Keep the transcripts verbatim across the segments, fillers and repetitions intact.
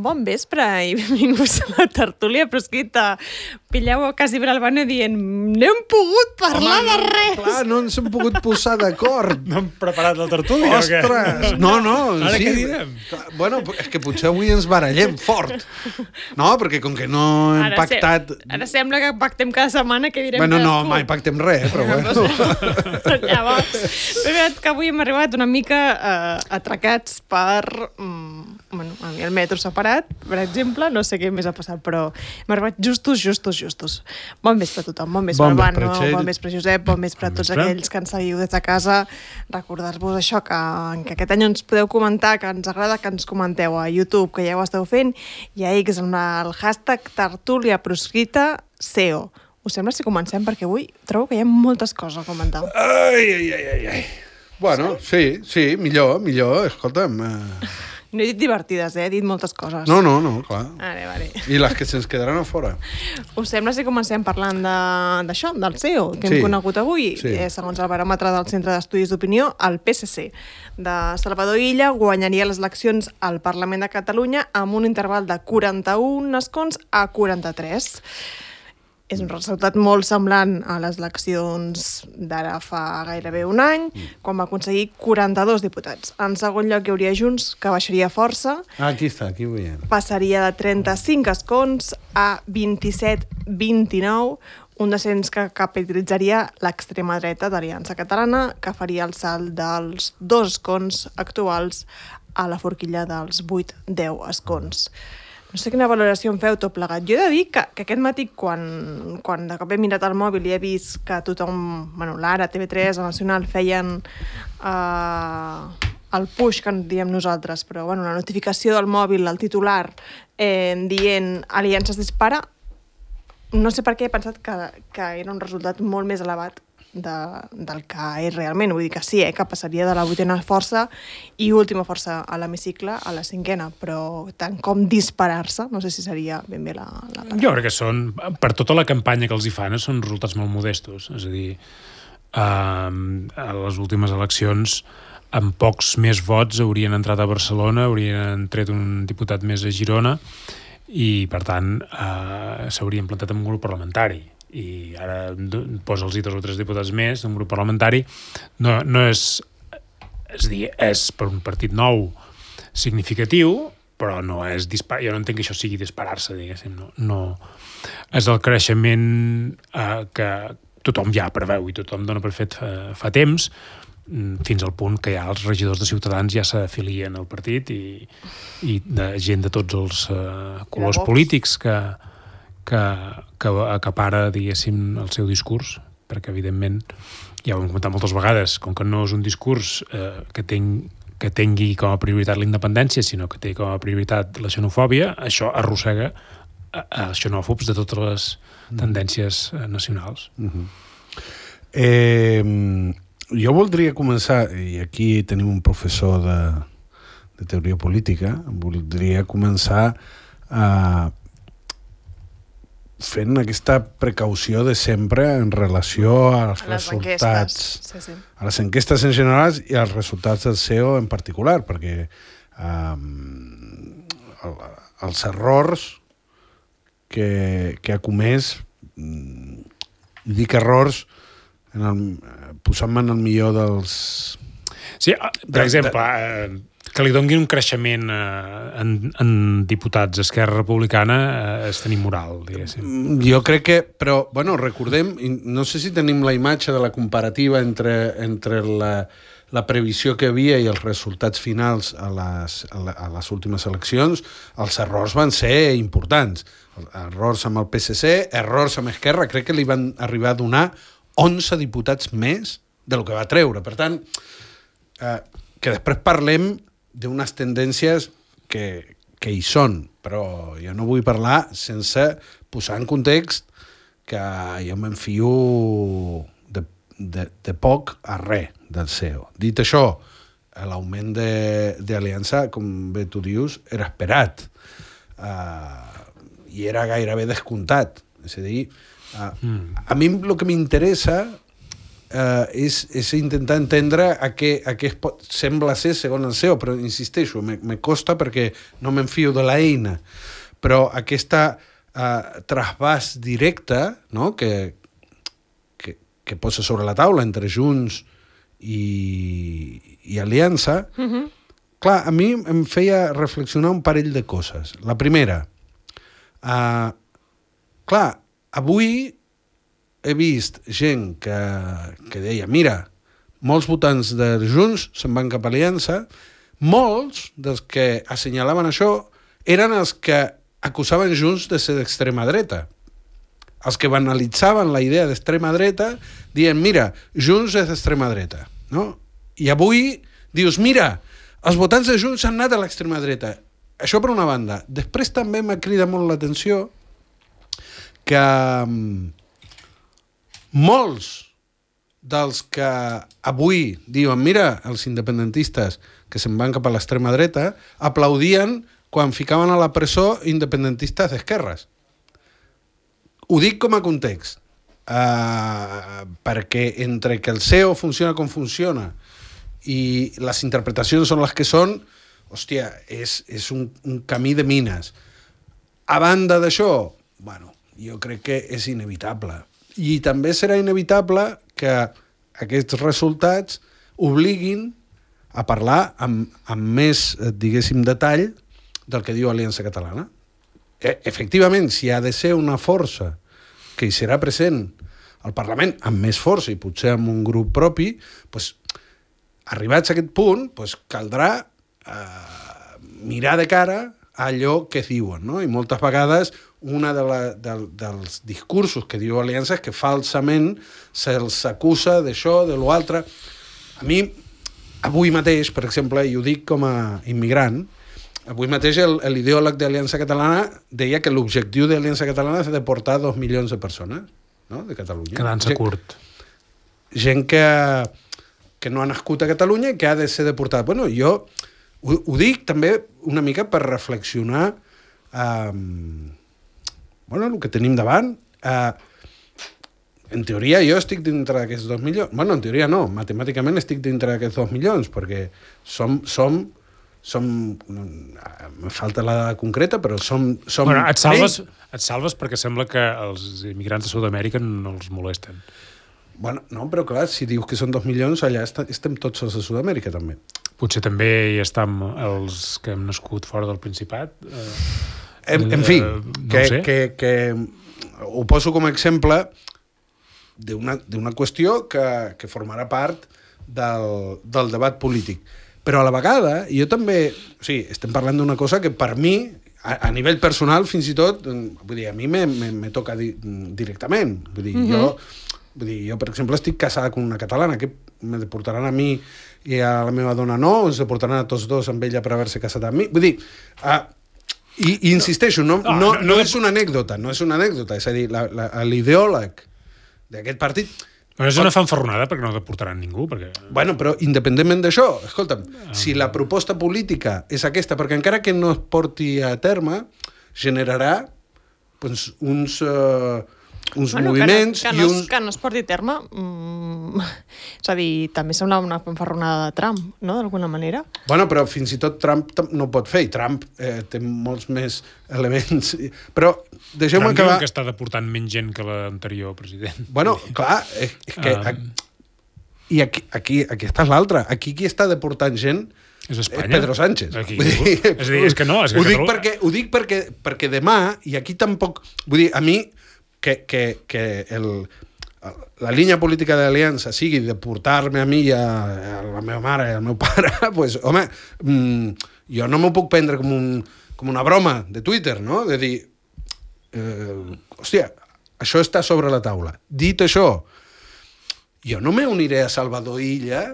Bon vespre i benvinguts a la tertúlia proscrita. Pilleu quasi Bralbano dient no hem pogut parlar Home, de res. Clar, no ens hem pogut posar d'acord. No hem preparat la tertúlia Ostres! o què? No, no. Ara sí. què direm? Bueno, és que potser avui ens barallem fort. No, perquè com que no hem Ara pactat... Se... Ara sembla que pactem cada setmana que direm Bueno, no, cadascú. mai pactem res, però bueno. Llavors, és veritat que avui hem arribat una mica eh, atracats per... Mm, bueno, a mi el metro separat, per exemple, no sé què més ha passat, però hem arribat justos, justos, justos. Bon vespre a tothom, bon vespre Bon Albano, vespre, Txell. bon vespre Josep, bon vespre a Bon tots vespre. aquells que ens seguiu des de casa. Recordar-vos això, que, que aquest any ens podeu comentar, que ens agrada que ens comenteu a YouTube, que ja ho esteu fent, i a X amb el hashtag tertúlia proscrita S E O. Us sembla si comencem? Perquè avui trobo que hi ha moltes coses a comentar. Ai, ai, ai, ai, ai. Bueno, sí, sí, millor, millor, escolta'm. Eh... No he dit divertides, eh? He dit moltes coses. No, no, no, clar. Vale, vale. I les que se'ns quedaran a fora. Us sembla si comencem parlant de- d'això, del S E O, que Sí. hem conegut avui? Sí. Eh, segons el baròmetre del Centre d'Estudis d'Opinió, el P S C de Salvador Illa guanyaria les eleccions al Parlament de Catalunya amb un interval de quaranta-un escons a quaranta-tres. És un resultat molt semblant a les eleccions d'ara fa gairebé un any, quan va aconseguir quaranta-dos diputats. En segon lloc hi hauria Junts, que baixaria força, Ah, aquí està, aquí ho veiem. passaria de trenta-cinc escons a vint-i-set vint-i-nou, un descens que capitalitzaria l'extrema dreta d'Aliança Catalana, que faria el salt dels dos escons actuals a la forquilla dels vuit deu escons. No sé quina valoració en feu tot plegat. Jo he de dir que, que aquest matí, quan, quan de cop he mirat el mòbil i he vist que tothom, bueno, l'Ara, T V tres, el Nacional, feien eh, el push, que en diem nosaltres, però bueno, la notificació del mòbil, el titular, eh, dient Aliança es dispara, no sé per què he pensat que, que era un resultat molt més elevat de, del que és realment. Vull dir que sí, eh, que passaria de la vuitena força i última força a l'hemicicle a la cinquena, però tant com disparar-se, no sé si seria ben bé la, la paraula. Jo crec que són, per tota la campanya que els hi fan, són resultats molt modestos. És a dir, eh, a les últimes eleccions, amb pocs més vots haurien entrat a Barcelona, haurien tret un diputat més a Girona i, per tant, eh, s'haurien plantat en un grup parlamentari. I ara posa'ls dos o tres diputats més d'un grup parlamentari. No, no és... És a dir, és per un partit nou significatiu, però no és disparar. Jo no entenc que això sigui disparar-se, diguéssim. No, no. És el creixement eh, que tothom ja preveu i tothom dona per fet fa, fa temps, fins al punt que ja els regidors de Ciutadans ja s'afilien al partit i, i de gent de tots els eh, colors polítics que, que, que acapara, diguéssim, el seu discurs, perquè, evidentment, ja ho hem comentat moltes vegades, com que no és un discurs eh, que, ten, que tingui com a prioritat la independència, sinó que té com a prioritat la xenofòbia, això arrossega a, a xenòfobs de totes les tendències eh, nacionals. Uh-huh. Eh... Jo voldria començar, i aquí tenim un professor de, de teoria política, voldria començar a fent aquesta precaució de sempre en relació als a les resultats, sí, sí. a les enquestes en general i als resultats del S E O en particular, perquè um, el, els errors que, que ha comès, i dic errors en el, posant-me en el millor dels... Sí, per de, exemple, de... eh, que li donguin un creixement eh, en, en diputats d'Esquerra Republicana eh, és tenir moral, diguéssim. Jo crec que... Però, bueno, recordem, no sé si tenim la imatge de la comparativa entre, entre la, la previsió que havia i els resultats finals a les, a les últimes eleccions. Els errors van ser importants. Errors amb el P S C, errors amb Esquerra, crec que li van arribar a donar onze diputats més del que va treure. Per tant, eh, que després parlem d'unes tendències que, que hi són, però jo no vull parlar sense posar en context que jo m'enfio de, de, de poc a res del C E O. Dit això, l'augment d'Aliança, com bé tu dius, era esperat. Uh, I era gairebé descomptat. És a dir, uh, mm. a mi el que m'interessa uh, és, és intentar entendre a què, a què es pot, sembla ser segons el C E O, però insisteixo, me, me costa perquè no m'enfio de l'eina. Però aquesta uh, trasbàs directe, no?, que, que, que posa sobre la taula entre Junts i, i Aliança, uh-huh. clar, a mi em feia reflexionar un parell de coses. La primera, uh, clar, avui he vist gent que, que deia, mira, molts votants de Junts se'n van cap a Aliança, molts dels que assenyalaven això eren els que acusaven Junts de ser d'extrema dreta. Els que banalitzaven la idea d'extrema dreta dient, mira, Junts és d'extrema dreta. No? I avui dius, mira, els votants de Junts han anat a l'extrema dreta. Això per una banda. Després també m'ha cridat molt l'atenció que um, molts dels que avui diuen, mira, els independentistes que se'n van cap a l'extrema dreta, aplaudien quan ficaven a la presó independentistes d'esquerres. Ho dic com a context, uh, perquè entre que el C E O funciona com funciona i les interpretacions són les que són, hòstia, és, és un, un camí de mines. A banda d'això, bueno, jo crec que és inevitable. I també serà inevitable que aquests resultats obliguin a parlar amb, amb més, diguéssim, detall del que diu Aliança Catalana. E- efectivament, si ha de ser una força que hi serà present al Parlament amb més força i potser amb un grup propi, pues, arribats a aquest punt, pues, caldrà eh, mirar de cara a allò que diuen, no? I moltes vegades una de la, de, dels discursos que diu Aliança és que falsament se'ls acusa d'això, de l'altre. A mi, avui mateix, per exemple, i ho dic com a immigrant, avui mateix l'ideòleg d'Aliança Catalana deia que l'objectiu d'Aliança Catalana és deportar dos milions de persones, no?, de Catalunya. Quedant-se curt. Gent que, que no ha nascut a Catalunya i que ha de ser deportada. Bueno, jo ho, ho dic també una mica per reflexionar eh, bueno, el que tenim davant. Eh, en teoria jo estic dintre d'aquests dos milions. Bueno, en teoria no, matemàticament estic dintre d'aquests dos milions, perquè som... som som, me falta la dada concreta, però som... som bueno, et salves, et salves perquè sembla que els immigrants de Sud-amèrica no els molesten. Bueno, no, però clar, si dius que són dos milions, allà est estem tots els de Sud-amèrica, també. Potser també hi estem els que hem nascut fora del Principat. Eh, en, en fi, eh, no que, sé. que, que ho poso com a exemple d'una qüestió que, que formarà part del, del debat polític. Però a la vegada, jo també... O sigui, estem parlant d'una cosa que per mi, a, a nivell personal, fins i tot, vull dir, a mi me, me, me toca di, directament. Vull dir, mm-hmm. jo, vull dir, jo, per exemple, estic casada amb una catalana, que me deportaran a mi i a la meva dona no, ens deportaran a tots dos amb ella per haver-se casat amb mi. Vull dir, uh, i, i insisteixo, no, no, no, no, no és una anècdota, no és una anècdota. És a dir, l'ideòleg d'aquest partit... Però és una fanfarronada perquè no deportaran ningú. Perquè... Bueno, però independentment d'això, escolta'm, ah. si la proposta política és aquesta, perquè encara que no es porti a terme, generarà doncs, uns, uh, uns bueno, moviments... Que no, que, i no, uns... que no es porti a terme, mm, és a dir, també sembla una fanfarronada de Trump, no?, d'alguna manera. Bueno, però fins i tot Trump no ho pot fer, i Trump eh, té molts més elements... Però deixeu-me acabar... Trump diu que està deportant menys gent que l'anterior president. Bueno, clar, és, és que... Um... I aquí, aquí, aquí està l'altre. Aquí qui està deportant gent és Espanya. És Pedro Sánchez. Aquí, dir, és a dir, és que no. És que ho dic, perquè, ho dic perquè, perquè demà, i aquí tampoc... Vull dir, a mi, que, que, que el, la línia política d'Aliança sigui deportar-me a mi i a, a la meva mare i al meu pare, pues, home, mmm, jo no m'ho puc prendre com, un, com una broma de Twitter, no? De dir, eh, hòstia, això està sobre la taula. Dit això, jo no me uniré a Salvador Illa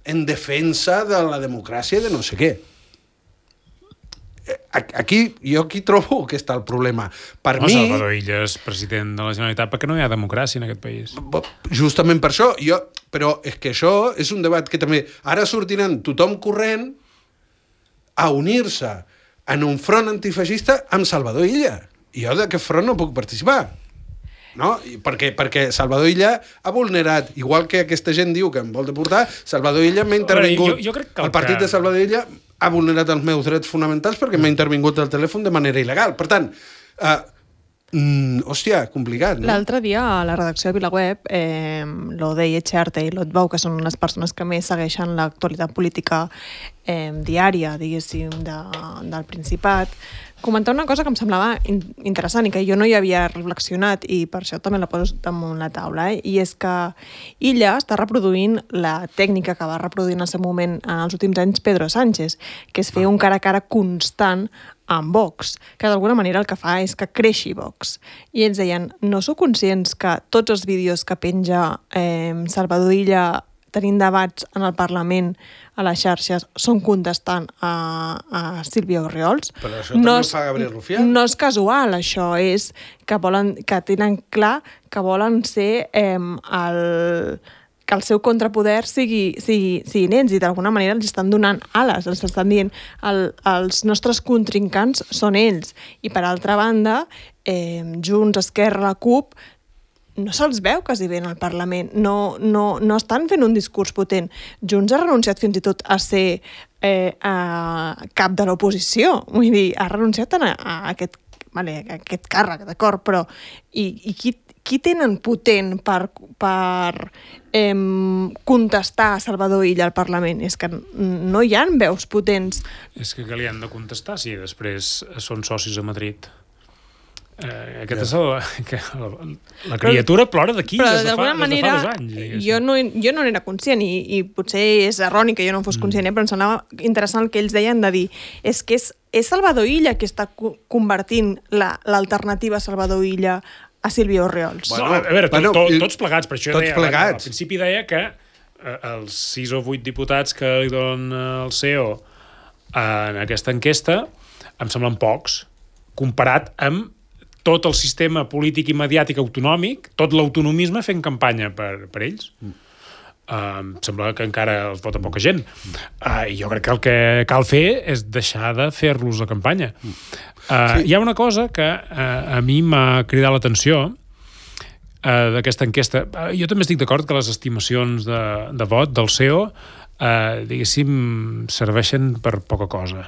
en defensa de la democràcia i de no sé què. aquí, jo aquí trobo que està el problema. Per no, mi... Salvador Illa és president de la Generalitat perquè no hi ha democràcia en aquest país. Justament per això, jo, però és que això és un debat que també... Ara sortiran tothom corrent a unir-se en un front antifeixista amb Salvador Illa. I jo d'aquest front no puc participar. No? Perquè, perquè Salvador Illa ha vulnerat, igual que aquesta gent diu que em vol deportar, Salvador Illa m'ha intervingut. Jo, jo crec que el, el partit que... de Salvador Illa ha vulnerat els meus drets fonamentals perquè m'ha intervingut el telèfon de manera il·legal. Per tant, eh, mm, hòstia, complicat, no? L'altre dia a la redacció de VilaWeb, eh, l'Odei Echarte i l'Otbau, que són les persones que més segueixen l'actualitat política eh, diària, diguéssim, de, del Principat, comentar una cosa que em semblava in interessant i que jo no hi havia reflexionat i per això també la poso damunt la taula, eh? I és que Illa està reproduint la tècnica que va reproduir en el seu moment en els últims anys Pedro Sánchez, que és fer un cara a cara constant amb Vox, que d'alguna manera el que fa és que creixi Vox. I ells deien, no sou conscients que tots els vídeos que penja eh, Salvador Illa tenint debats en el Parlament, a les xarxes, són contestant a, a Sílvia Orriols. Però això també no ho és, fa Gabriel Rufián. No és casual, això és que, volen, que tenen clar que volen ser eh, el, que el seu contrapoder sigui, sigui, siguin ells i d'alguna manera els estan donant ales, els estan dient el, els nostres contrincants són ells. I per altra banda, eh, Junts, Esquerra, la CUP, no se'ls veu quasi bé en el Parlament, no, no, no estan fent un discurs potent. Junts ha renunciat fins i tot a ser eh, a cap de l'oposició, vull dir, ha renunciat a, a, aquest, vale, a aquest càrrec, d'acord, però i, i qui, qui tenen potent per, per eh, contestar a Salvador Illa al Parlament? És que no hi ha veus potents. És que que li han de contestar si després són socis a Madrid. Eh, aquest ja. és el, que la, la criatura però, plora d'aquí des, de fa, des de fa dos anys. Jo no, jo no n'era conscient i, i potser és erroni que jo no en fos conscient, mm. eh, però em semblava interessant el que ells deien de dir és que és, és Salvador Illa que està convertint l'alternativa la, a Salvador Illa a Sílvia Orriols. Bueno, a veure, bueno, to, to, tots plegats, per això tots deia, plegats. Al principi deia que eh, els sis o vuit diputats que li donen el C E O en aquesta enquesta em semblen pocs, comparat amb tot el sistema polític i mediàtic autonòmic, tot l'autonomisme fent campanya per, per ells. Mm. Uh, em sembla que encara els vota poca gent. Uh, I jo crec que el que cal fer és deixar de fer-los la campanya. Uh, sí. Hi ha una cosa que uh, a mi m'ha cridat l'atenció uh, d'aquesta enquesta. Uh, jo també estic d'acord que les estimacions de, de vot del C E O uh, diguéssim, serveixen per poca cosa.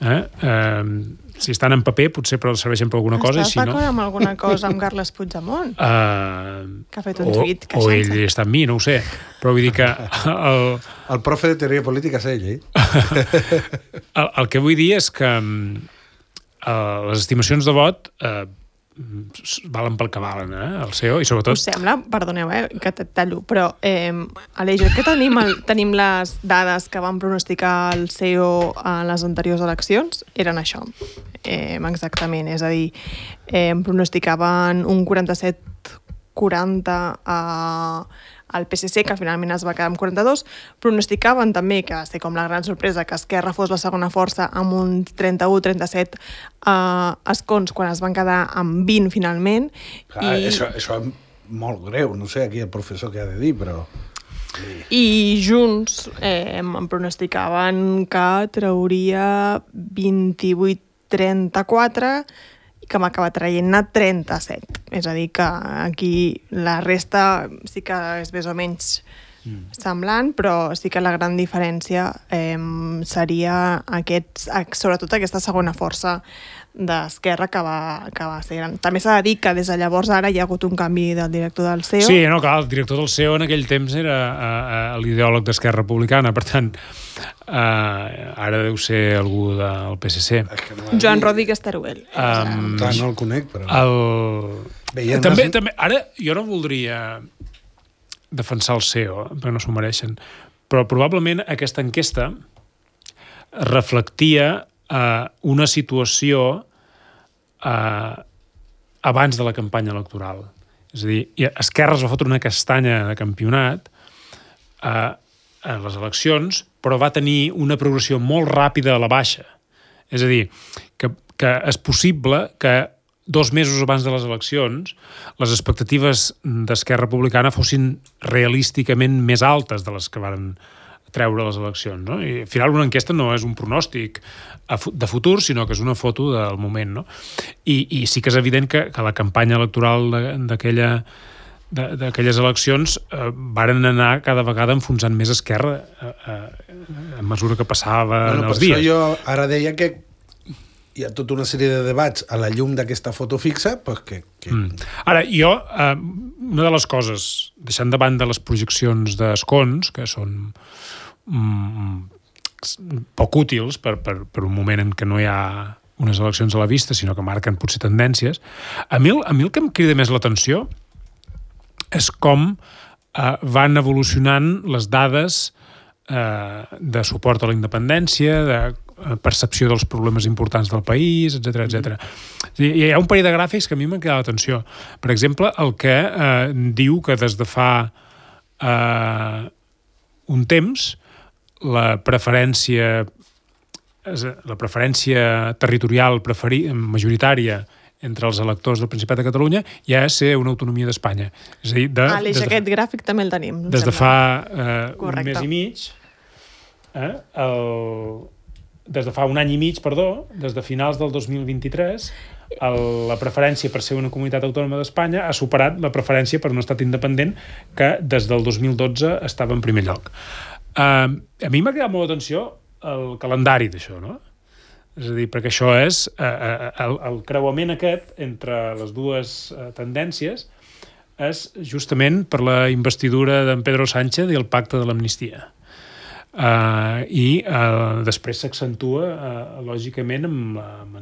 Eh? Uh, si estan en paper potser però serveixen per alguna cosa. Estàs si no... d'acord amb alguna cosa amb Carles Puigdemont? Uh, que ha fet un o, tuit o ell està amb mi, no ho sé. Però vull dir que... El, el profe de teoria política és ell, eh? el, el que vull dir és que uh, les estimacions de vot uh, valen pel que valen, eh? El C E O, i sobretot... Us sembla, perdoneu, eh, que et tallo, però eh, Aleix, que tenim, el, tenim les dades que van pronosticar el C E O a les anteriors eleccions, eren això, eh, exactament, és a dir, eh, pronosticaven un quaranta-set quaranta a... el P S C, que finalment es va quedar amb quaranta-dos, pronosticaven també, que va ser com la gran sorpresa, que Esquerra fos la segona força amb un trenta-u trenta-set uh, escons quan es van quedar amb vint finalment. Clar, i... això, això és molt greu, no sé aquí el professor què ha de dir, però... I Junts eh, em pronosticaven que trauria vint-i-vuit trenta-quatre que m'acaba traient-ne trenta-set. És a dir, que aquí la resta sí que és més o menys mm. semblant, però sí que la gran diferència eh, seria aquests, sobretot aquesta segona força d'Esquerra que va, que va ser gran. També s'ha de dir que des de llavors ara hi ha hagut un canvi del director del C E O. Sí, no, clar, el director del C E O en aquell temps era uh, uh, l'ideòleg d'Esquerra Republicana, per tant, uh, ara deu ser algú del P S C. Es que no Joan Rodríguez Teruel. Um, Clar, no el conec, però... El... Veient també, les... també, ara, jo no voldria defensar el C E O, perquè no s'ho mereixen, però probablement aquesta enquesta reflectia Uh, una situació uh, abans de la campanya electoral. És a dir, Esquerra es va fotre una castanya de campionat uh, en les eleccions, però va tenir una progressió molt ràpida a la baixa. És a dir, que, que és possible que dos mesos abans de les eleccions les expectatives d'Esquerra Republicana fossin realísticament més altes de les que van treure les eleccions, no? I al final una enquesta no és un pronòstic de futur, sinó que és una foto del moment, no? I, i sí que és evident que, que la campanya electoral d'aquella d'aquelles eleccions eh, varen anar cada vegada enfonsant més Esquerra eh, eh, a mesura que passaven bueno, els dies. Per això jo ara deia que hi ha tota una sèrie de debats a la llum d'aquesta foto fixa, pues que... que... Mm. Ara, jo, eh, una de les coses, deixant de banda les projeccions d'escons, que són mm, poc útils per, per, per un moment en què no hi ha unes eleccions a la vista, sinó que marquen potser tendències, a mi, a mi el que em crida més l'atenció és com eh, van evolucionant les dades eh, de suport a la independència, de percepció dels problemes importants del país, etcètera, etcètera. Hi ha un parell de gràfics que a mi m'han cridat l'atenció. Per exemple, el que eh, diu que des de fa eh, un temps la preferència la preferència territorial preferi, majoritària entre els electors del Principat de Catalunya ja és ser una autonomia d'Espanya. És a dir, de, Aleix, de, aquest gràfic també el tenim. Des de fa eh, un mes i mig, eh, el des de fa un any i mig, perdó, des de finals del dos mil vint-i-tres, el, la preferència per ser una comunitat autònoma d'Espanya ha superat la preferència per un estat independent que des del dos mil dotze estava en primer lloc. Uh, a mi m'ha cridat molt l'atenció el calendari d'això, no? És a dir, perquè això és uh, el, el creuament aquest entre les dues uh, tendències és justament per la investidura d'en Pedro Sánchez i el pacte de l'amnistia. Uh, i uh, després s'accentua uh, lògicament amb, amb,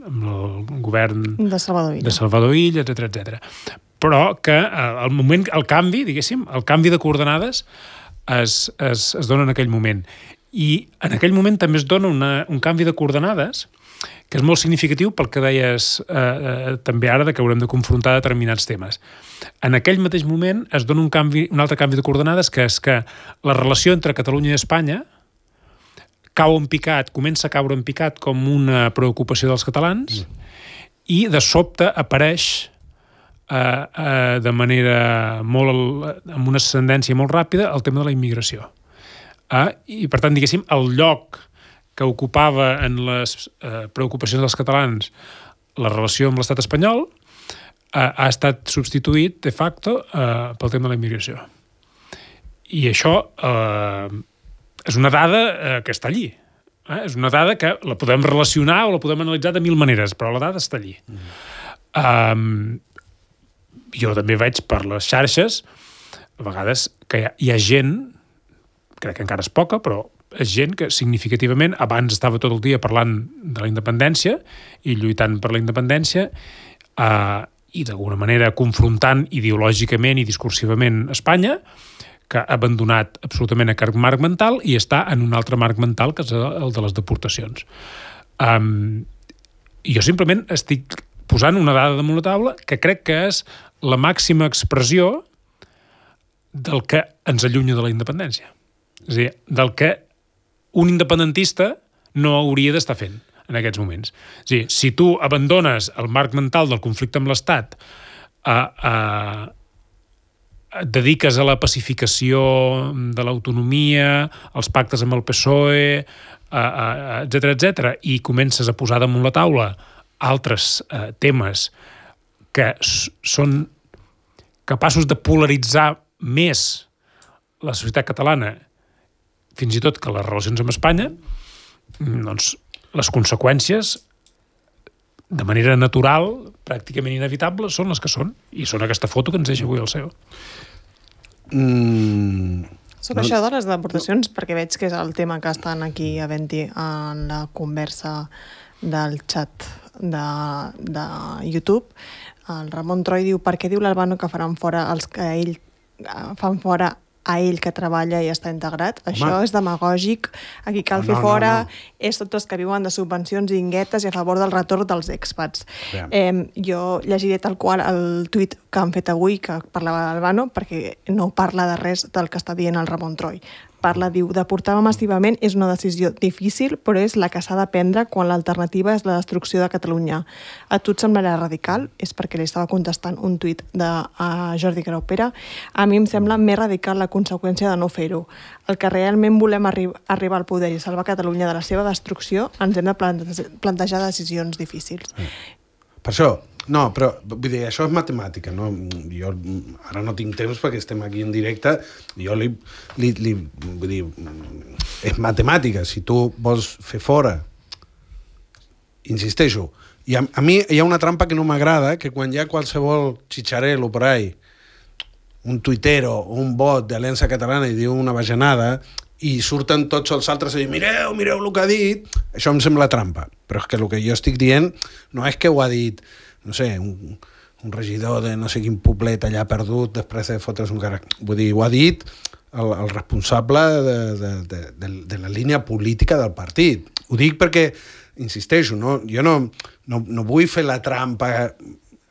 amb el govern de Salvador Illa, de Salvador Illa, etcètera, etcètera. Però que uh, el moment, el canvi, diguéssim, el canvi de coordenades es, es, es dona en aquell moment. I en aquell moment també es dona una, un canvi de coordenades que és molt significatiu pel que deies eh, eh, també ara de que haurem de confrontar determinats temes. En aquell mateix moment es dona un, canvi, un altre canvi de coordenades, que és que la relació entre Catalunya i Espanya cau en picat, comença a caure en picat com una preocupació dels catalans mm. i de sobte apareix eh, eh, de manera molt, amb una ascendència molt ràpida el tema de la immigració. Eh, I per tant, diguéssim, el lloc que ocupava en les eh, preocupacions dels catalans la relació amb l'estat espanyol eh, ha estat substituït de facto eh, pel tema de la immigració. I això eh, és una dada eh, que està allí. Eh? És una dada que la podem relacionar o la podem analitzar de mil maneres, però la dada està allí. Mm. Um, jo també veig per les xarxes a vegades que hi ha, hi ha gent, crec que encara és poca, però és gent que significativament abans estava tot el dia parlant de la independència i lluitant per la independència eh, i d'alguna manera confrontant ideològicament i discursivament Espanya, que ha abandonat absolutament aquest marc mental i està en un altre marc mental, que és el de les deportacions. Um, jo simplement estic posant una dada damunt la taula que crec que és la màxima expressió del que ens allunya de la independència. És a dir, del que un independentista no hauria d'estar fent en aquests moments. És a dir, si tu abandones el marc mental del conflicte amb l'Estat, a, a, et dediques a la pacificació de l'autonomia, als pactes amb el P S O E, etcètera, etcètera, i comences a posar damunt la taula altres eh, temes que són capaços de polaritzar més la societat catalana, fins i tot que les relacions amb Espanya, doncs les conseqüències, de manera natural, pràcticament inevitable, són les que són. I són aquesta foto que ens deixa avui el C E O. Mm, Sobre no, això de les deportacions, no. perquè veig que és el tema que estan aquí havent-hi en la conversa del xat de, de YouTube. El Ramon Troi diu: per què diu l'Albano que faran fora els que ell fan fora a ell que treballa i està integrat? Home. Això és demagògic, aquí cal no, fer no, fora, no, no. És tots els que viuen de subvencions i inguetes i a favor del retorn dels expats. Eh, jo llegiré tal qual el tuit que han fet avui, que parlava d'Albano, perquè no parla de res del que està dient el Ramon Troy. Parla, diu, deportar massivament és una decisió difícil, però és la que s'ha de prendre quan l'alternativa és la destrucció de Catalunya. A tu et semblarà radical? És perquè li estava contestant un tuit de uh, Jordi Graupera. A mi em sembla més radical la conseqüència de no fer-ho. El que realment volem arri arribar al poder i salvar Catalunya de la seva destrucció, ens hem de plante plantejar decisions difícils. Per això, no, però vull dir, això és matemàtica, no? Jo ara no tinc temps perquè estem aquí en directe, jo li, li, li vull dir, és matemàtica, si tu vols fer fora, insisteixo, i a, a mi hi ha una trampa que no m'agrada, que quan hi ha qualsevol xitxarel o por ahí, un tuitero o un bot d'Aliança Catalana i diu una bajanada, i surten tots els altres i diuen mireu, mireu el que ha dit, això em sembla trampa. Però és que el que jo estic dient no és que ho ha dit, no sé, un, un regidor de no sé quin poblet allà perdut després de fotre's un càrrec. Vull dir, ho ha dit el, el responsable de, de, de, de, de la línia política del partit. Ho dic perquè, insisteixo, no? Jo no, no, no vull fer la trampa...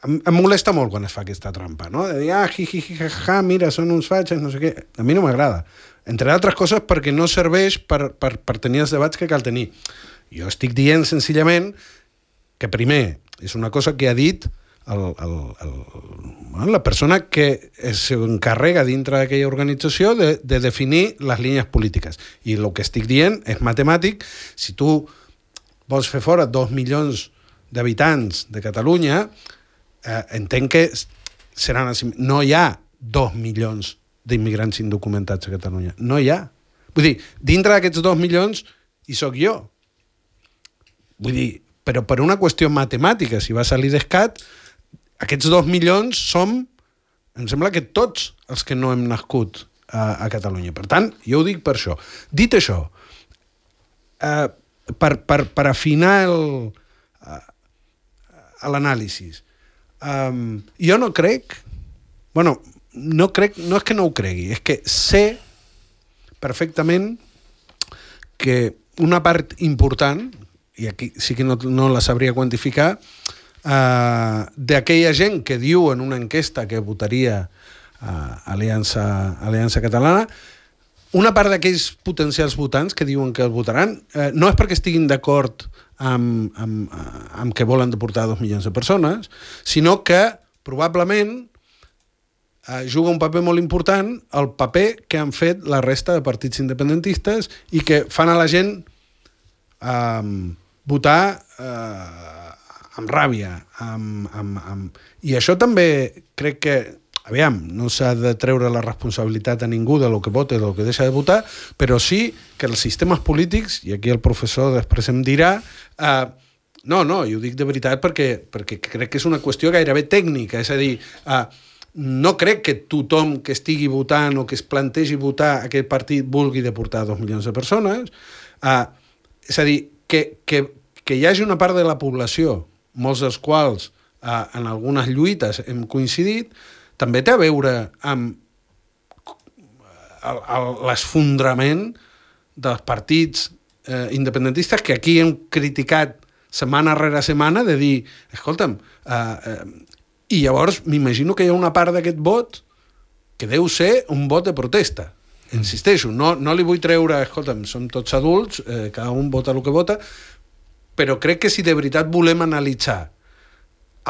Em, em molesta molt quan es fa aquesta trampa, no? De dir, ah, hi, hi, hi, ha, mira, són uns fatxes, no sé què. A mi no m'agrada. Entre altres coses perquè no serveix per, per, per tenir els debats que cal tenir. Jo estic dient senzillament que primer és una cosa que ha dit el, el, el, bueno, la persona que s'encarrega dintre d'aquella organització de, de definir les línies polítiques. I el que estic dient és matemàtic. Si tu vols fer fora dos milions d'habitants de Catalunya, eh, entenc que seran... No hi ha dos milions d'immigrants indocumentats a Catalunya. No hi ha. Vull dir, dintre d'aquests dos milions hi sóc jo. Vull dir, però per una qüestió matemàtica, si va salir d'escat, aquests dos milions som, em sembla que tots els que no hem nascut a, a Catalunya. Per tant, jo ho dic per això. Dit això, eh, per, per, per afinar el, l'anàlisi, eh, jo no crec... Bueno, no crec, no és que no ho cregui, és que sé perfectament que una part important, i aquí sí que no, no la sabria quantificar, eh, d'aquella gent que diu en una enquesta que votaria eh, Aliança, Aliança Catalana, una part d'aquells potencials votants que diuen que el votaran, eh, no és perquè estiguin d'acord amb, amb, amb que volen deportar dos milions de persones, sinó que probablement Uh, juga un paper molt important el paper que han fet la resta de partits independentistes i que fan a la gent uh, votar uh, amb ràbia. Amb, amb, amb... I això també crec que, aviam, no s'ha de treure la responsabilitat a ningú de lo que vota i de lo que deixa de votar, però sí que els sistemes polítics, i aquí el professor després em dirà, uh, no, no, i ho dic de veritat perquè, perquè crec que és una qüestió gairebé tècnica, és a dir... Uh, no crec que tothom que estigui votant o que es plantegi votar aquest partit vulgui deportar dos milions de persones. Uh, és a dir, que, que, que hi hagi una part de la població, molts dels quals uh, en algunes lluites hem coincidit, també té a veure amb l'esfondrament dels partits eh, independentistes que aquí hem criticat setmana rere setmana de dir, escolta'm, eh, eh, i llavors m'imagino que hi ha una part d'aquest vot que deu ser un vot de protesta. Insisteixo, no, no li vull treure, escolta'm, som tots adults, eh, cada un vota el que vota, però crec que si de veritat volem analitzar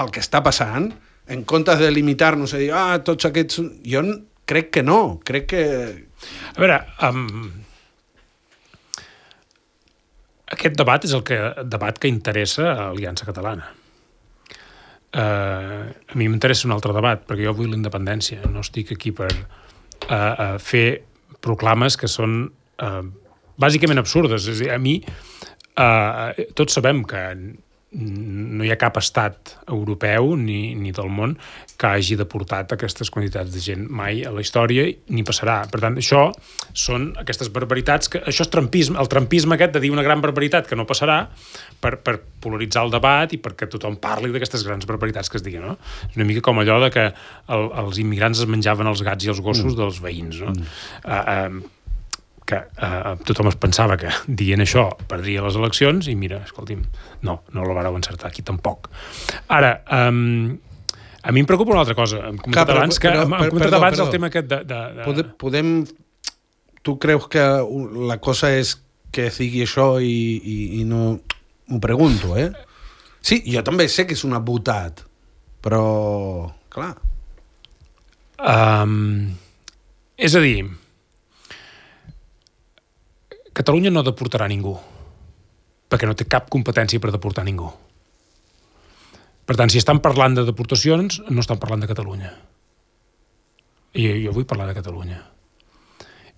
el que està passant, en comptes de limitar-nos a dir, ah, tots aquests... Jo crec que no, crec que... A veure, um, aquest debat és el que, debat que interessa a Aliança Catalana. Uh, a mi m'interessa un altre debat, perquè jo vull la independència, no estic aquí per uh, uh, fer proclames que són uh, bàsicament absurdes. És a dir, a mi, uh, tots sabem que no hi ha cap estat europeu ni, ni del món que hagi deportat aquestes quantitats de gent mai a la història, ni passarà. Per tant, això són aquestes barbaritats, que això és trampisme, el trampisme aquest de dir una gran barbaritat que no passarà per, per polaritzar el debat i perquè tothom parli d'aquestes grans barbaritats que es diguen, no? És una mica com allò de que el, els immigrants es menjaven els gats i els gossos mm. dels veïns, no? Mm. Uh, uh, que eh, tothom es pensava que dient això perdria les eleccions i mira, escolti'm, no, no la vareu encertar aquí tampoc. Ara, um, A mi em preocupa una altra cosa. Hem comentat Clar, però- abans, que, però- hem però- comentat perdó, abans perdó. el tema aquest de... de, de... Podem, podem... Tu creus que la cosa és que sigui això i, i, i no... M'ho pregunto, eh? Sí, jo també sé que és una botat, però... Clar. Um, és a dir, Catalunya no deportarà ningú, perquè no té cap competència per deportar ningú. Per tant, si estan parlant de deportacions, no estan parlant de Catalunya. I jo vull parlar de Catalunya.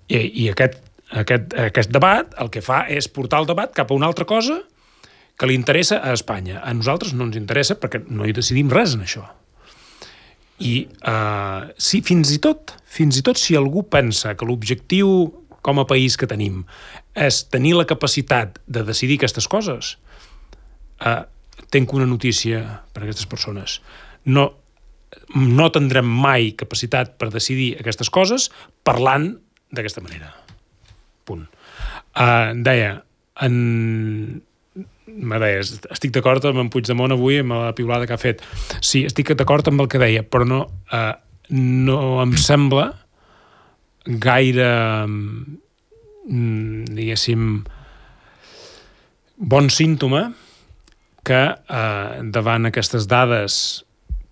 I, i aquest, aquest, aquest debat el que fa és portar el debat cap a una altra cosa que li interessa a Espanya. A nosaltres no ens interessa perquè no hi decidim res en això. I uh, sí, fins i tot, fins i tot si algú pensa que l'objectiu com a país que tenim és tenir la capacitat de decidir aquestes coses, uh, tenc una notícia per a aquestes persones. No, no tindrem mai capacitat per decidir aquestes coses parlant d'aquesta manera. Punt. Uh, deia, en... me deia, estic d'acord amb en Puigdemont avui, amb la piulada que ha fet. Sí, estic d'acord amb el que deia, però no, uh, no em sembla gaire, mm, diguéssim, bon símptoma que eh, davant aquestes dades,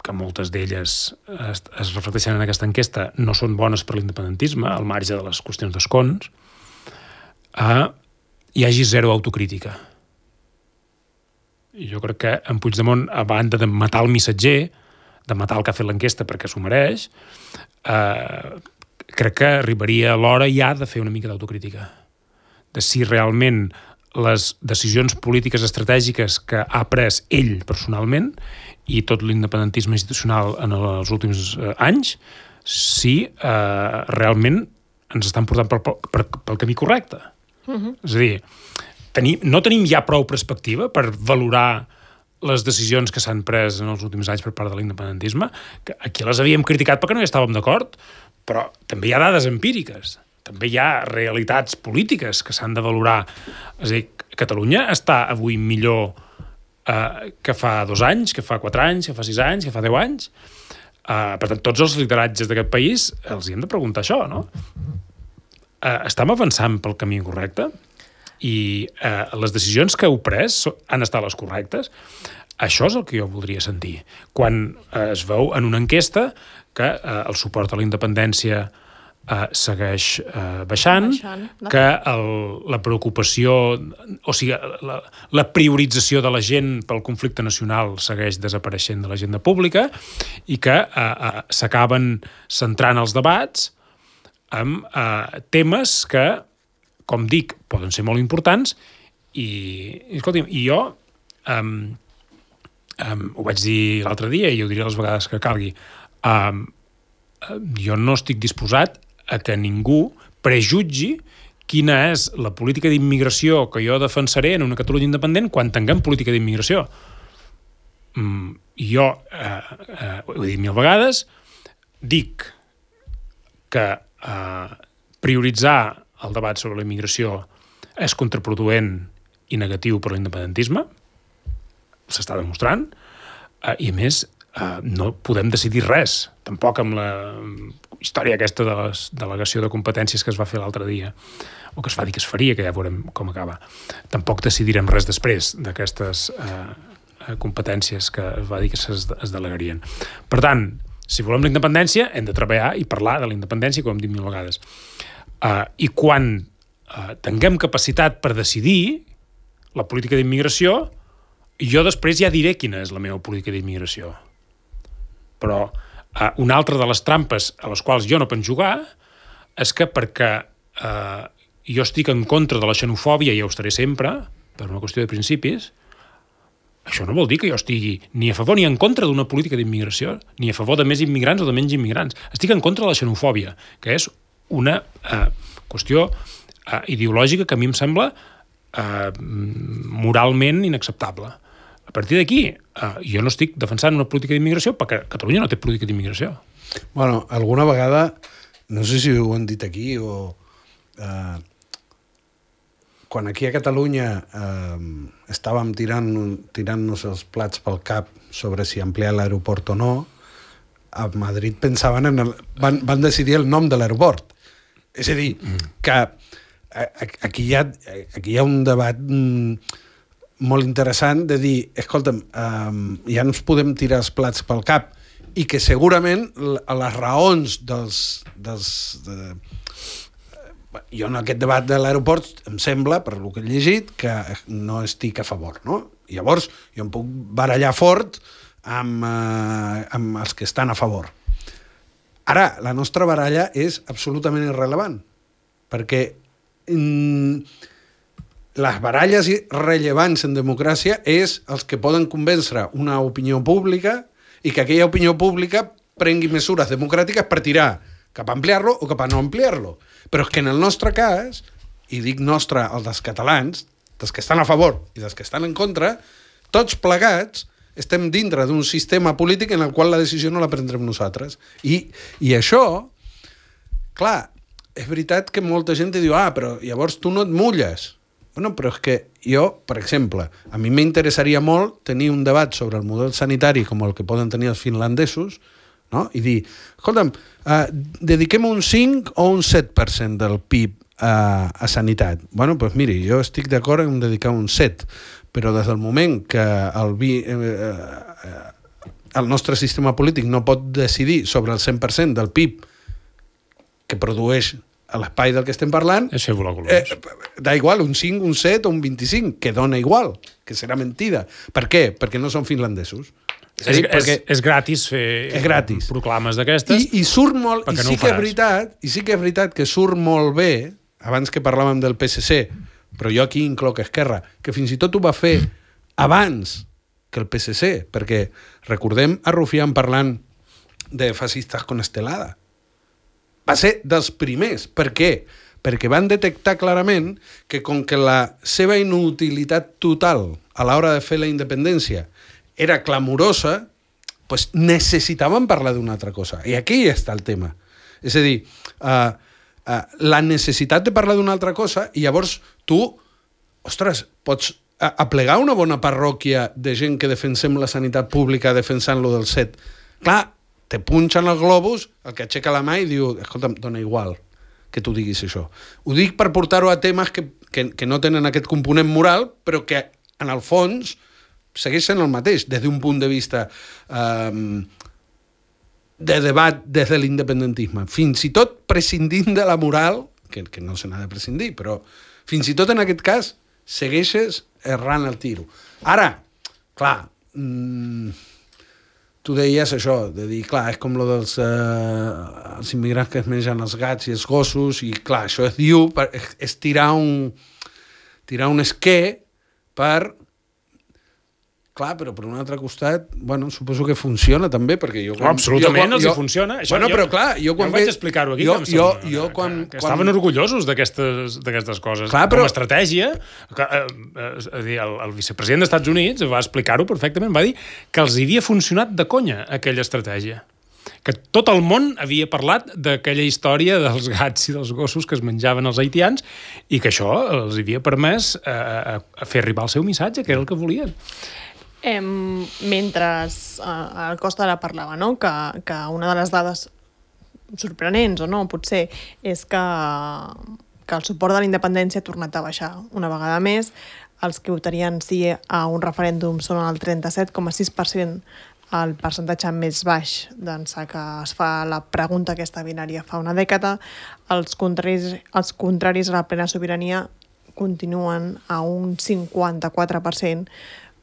que moltes d'elles es, es reflecteixen en aquesta enquesta, no són bones per l'independentisme, al marge de les qüestions d'escons, eh, hi hagi zero autocrítica. I jo crec que en Puigdemont, a banda de matar el missatger, de matar el que ha fet l'enquesta perquè s'ho mereix, eh, crec que arribaria l'hora ja de fer una mica d'autocrítica. De si realment les decisions polítiques estratègiques que ha pres ell personalment i tot l'independentisme institucional en els últims eh, anys, si eh, realment ens estan portant pel, pel, pel camí correcte. Uh-huh. És a dir, tenim, no tenim ja prou perspectiva per valorar les decisions que s'han pres en els últims anys per part de l'independentisme, que aquí les havíem criticat perquè no hi estàvem d'acord, però també hi ha dades empíriques, també hi ha realitats polítiques que s'han de valorar. És a dir, Catalunya està avui millor eh, que fa dos anys, que fa quatre anys, que fa sis anys, que fa deu anys. Eh, per tant, tots els lideratges d'aquest país els hi hem de preguntar això, no? Eh, estem avançant pel camí correcte? I eh, les decisions que heu pres han estat les correctes? Això és el que jo voldria sentir. Quan eh, es veu en una enquesta que eh, el suport a la independència eh, segueix eh, baixant, baixant no? que el, la preocupació, o sigui, la, la priorització de la gent pel conflicte nacional segueix desapareixent de l'agenda pública i que eh, eh, s'acaben centrant els debats amb eh, temes que, com dic, poden ser molt importants i, i escolti'm, i jo um, um, ho vaig dir l'altre dia i ho diré les vegades que calgui, um, jo no estic disposat a que ningú prejutgi quina és la política d'immigració que jo defensaré en una Catalunya independent quan tinguem política d'immigració. Mm, jo, eh, eh, ho he dit mil vegades, dic que eh, prioritzar el debat sobre la immigració és contraproduent i negatiu per l'independentisme, s'està demostrant, eh, i a més eh, no podem decidir res, tampoc amb la història aquesta de la delegació de competències que es va fer l'altre dia, o que es va dir que es faria, que ja veurem com acaba. Tampoc decidirem res després d'aquestes eh, competències que es va dir que es, es delegarien. Per tant, si volem la independència, hem de treballar i parlar de la independència, com hem dit mil vegades. Uh, I quan uh, tinguem capacitat per decidir la política d'immigració, jo després ja diré quina és la meva política d'immigració. Però uh, una altra de les trampes a les quals jo no penso jugar és que perquè uh, jo estic en contra de la xenofòbia i ho estaré sempre, per una qüestió de principis, això no vol dir que jo estigui ni a favor ni en contra d'una política d'immigració, ni a favor de més immigrants o de menys immigrants. Estic en contra de la xenofòbia, que és una eh, qüestió eh, ideològica que a mi em sembla eh, moralment inacceptable. A partir d'aquí, eh, jo no estic defensant una política d'immigració perquè Catalunya no té política d'immigració. Bueno, alguna vegada, no sé si ho han dit aquí o... Eh, quan aquí a Catalunya eh, estàvem tirant, tirant-nos els plats pel cap sobre si ampliar l'aeroport o no, a Madrid pensaven en el, van, van decidir el nom de l'aeroport. És a dir, que aquí hi ha, aquí hi ha un debat molt interessant de dir, escolta'm, um, ja no ens podem tirar els plats pel cap, i que segurament les raons dels... dels de... Jo en aquest debat de l'aeroport em sembla, per el que he llegit, que no estic a favor, no? Llavors, jo em puc barallar fort amb, eh, amb els que estan a favor. Ara, la nostra baralla és absolutament irrellevant, perquè mm, les baralles rellevants en democràcia és els que poden convèncer una opinió pública i que aquella opinió pública prengui mesures democràtiques per tirar cap a ampliar-lo o cap a no ampliar-lo. Però és que en el nostre cas, i dic nostre, el dels catalans, dels que estan a favor i dels que estan en contra, tots plegats estem dintre d'un sistema polític en el qual la decisió no la prendrem nosaltres. I, i això, clar, és veritat que molta gent diu, ah, però llavors tu no et mulles. Bueno, però és que jo, per exemple, a mi m'interessaria molt tenir un debat sobre el model sanitari com el que poden tenir els finlandesos, no? I dir, escolta'm, uh, dediquem un cinc o un set per cent del P I B a, a sanitat. Bueno, doncs miri, jo estic d'acord en dedicar un set, però des del moment que el, vi, eh, eh, el nostre sistema polític no pot decidir sobre el cent per cent del P I B que produeix a l'espai del que estem parlant, és fer volar colors. Eh, da igual, un cinc, un set o un vint-i-cinc, que dona igual, que serà mentida. Per què? Perquè no són finlandesos. És, és, és, és gratis fer és gratis. proclames d'aquestes. I, i surt molt, i no sí que és veritat, i sí que és veritat que surt molt bé, abans que parlàvem del P S C, però jo aquí incloc Esquerra, que fins i tot ho va fer abans que el P S C, perquè recordem a Rufián parlant de fascistes con estelada. Va ser dels primers. Per què? Perquè van detectar clarament que com que la seva inutilitat total a l'hora de fer la independència era clamorosa, pues necessitaven parlar d'una altra cosa. I aquí està el tema. És a dir, uh, uh, la necessitat de parlar d'una altra cosa, i llavors tu, ostres, pots aplegar una bona parròquia de gent que defensem la sanitat pública defensant-lo del set. Clar, te punxen el globus, el que aixeca la mà i diu, escolta'm, dona igual que tu diguis això. Ho dic per portar-ho a temes que, que, que no tenen aquest component moral, però que, en el fons, segueix sent el mateix, des d'un punt de vista um, de debat des de l'independentisme. Fins i tot prescindint de la moral, que, que no se n'ha de prescindir, però fins i tot en aquest cas segueixes errant el tiro. Ara, clar, mmm, tu deies això, de dir, clar, és com lo dels eh, els immigrants que es mengen els gats i els gossos, i clar, això es diu, per, és, és tirar un tirar un esquer per... Clar, però per un altre costat, bueno, suposo que funciona també, perquè jo... Quan, absolutament jo, els jo, hi funciona. Això, bueno, jo, però clar, jo quan... Jo vaig explicar-ho aquí, jo, que, jo, sembla, jo, que, quan, que, que quan... estaven orgullosos d'aquestes coses. Clar, però... Com a estratègia, que, eh, és a dir, el, el vicepresident dels Estats Units va explicar-ho perfectament, va dir que els havia funcionat de conya aquella estratègia. Que tot el món havia parlat d'aquella història dels gats i dels gossos que es menjaven els haitians i que això els havia permès eh, a fer arribar el seu missatge, que era el que volien. Eh, mentre eh, el Costa ara parlava, no? que, que una de les dades sorprenents, o no, potser, és que, que el suport de la independència ha tornat a baixar una vegada més. Els que votarien sí a un referèndum són el trenta-set coma sis per cent, el percentatge més baix d'ençà que es fa la pregunta aquesta binària fa una dècada. Els contraris, els contraris a la plena sobirania continuen a un cinquanta-quatre per cent,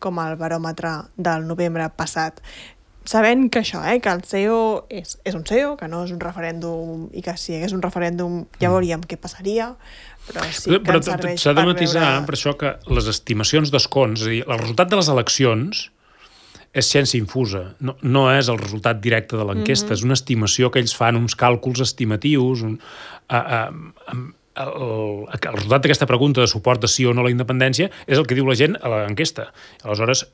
com el baròmetre del novembre passat. Sabent que això, eh, que el C E O és, és un C E O, que no és un referèndum, i que si hi hagués un referèndum ja veuríem què passaria, però sí que però, ens serveix s'ha de per matisar veure... per això que les estimacions d'escons, és a dir, el resultat de les eleccions és ciència infusa, no, no és el resultat directe de l'enquesta, mm-hmm. és una estimació que ells fan, uns càlculs estimatius, un, a, a, a, El, el resultat d'aquesta pregunta de suport de sí o no a la independència és el que diu la gent a l'enquesta. Aleshores,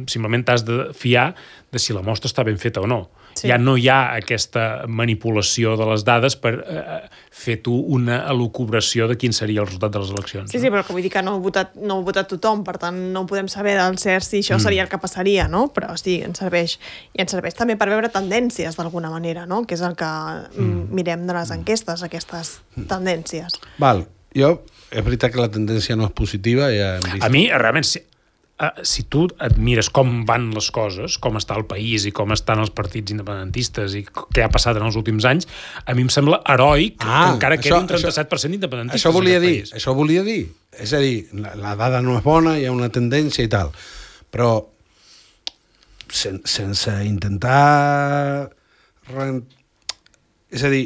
simplement t'has de fiar de si la mostra està ben feta o no. Sí. Ja no hi ha aquesta manipulació de les dades per eh, fer tu una elucubració de quin seria el resultat de les eleccions. Sí, no? sí, però que vull dir que no ho ha votat, no ho ha votat tothom, per tant no podem saber del cert si això mm. seria el que passaria, no? Però sí, ens serveix. I ens serveix també per veure tendències d'alguna manera, no? Que és el que mm. mirem de les enquestes, aquestes tendències. Val, jo, és veritat que la tendència no és positiva, ja hem vist. A mi, realment, si, si tu et mires com van les coses, com està el país i com estan els partits independentistes i què ha passat en els últims anys, a mi em sembla heroic ah, que encara quedi un trenta-set per cent d'independentistes. Això volia dir, país. això volia dir. És a dir, la, la dada no és bona, hi ha una tendència i tal, però sen, sense intentar... És a dir,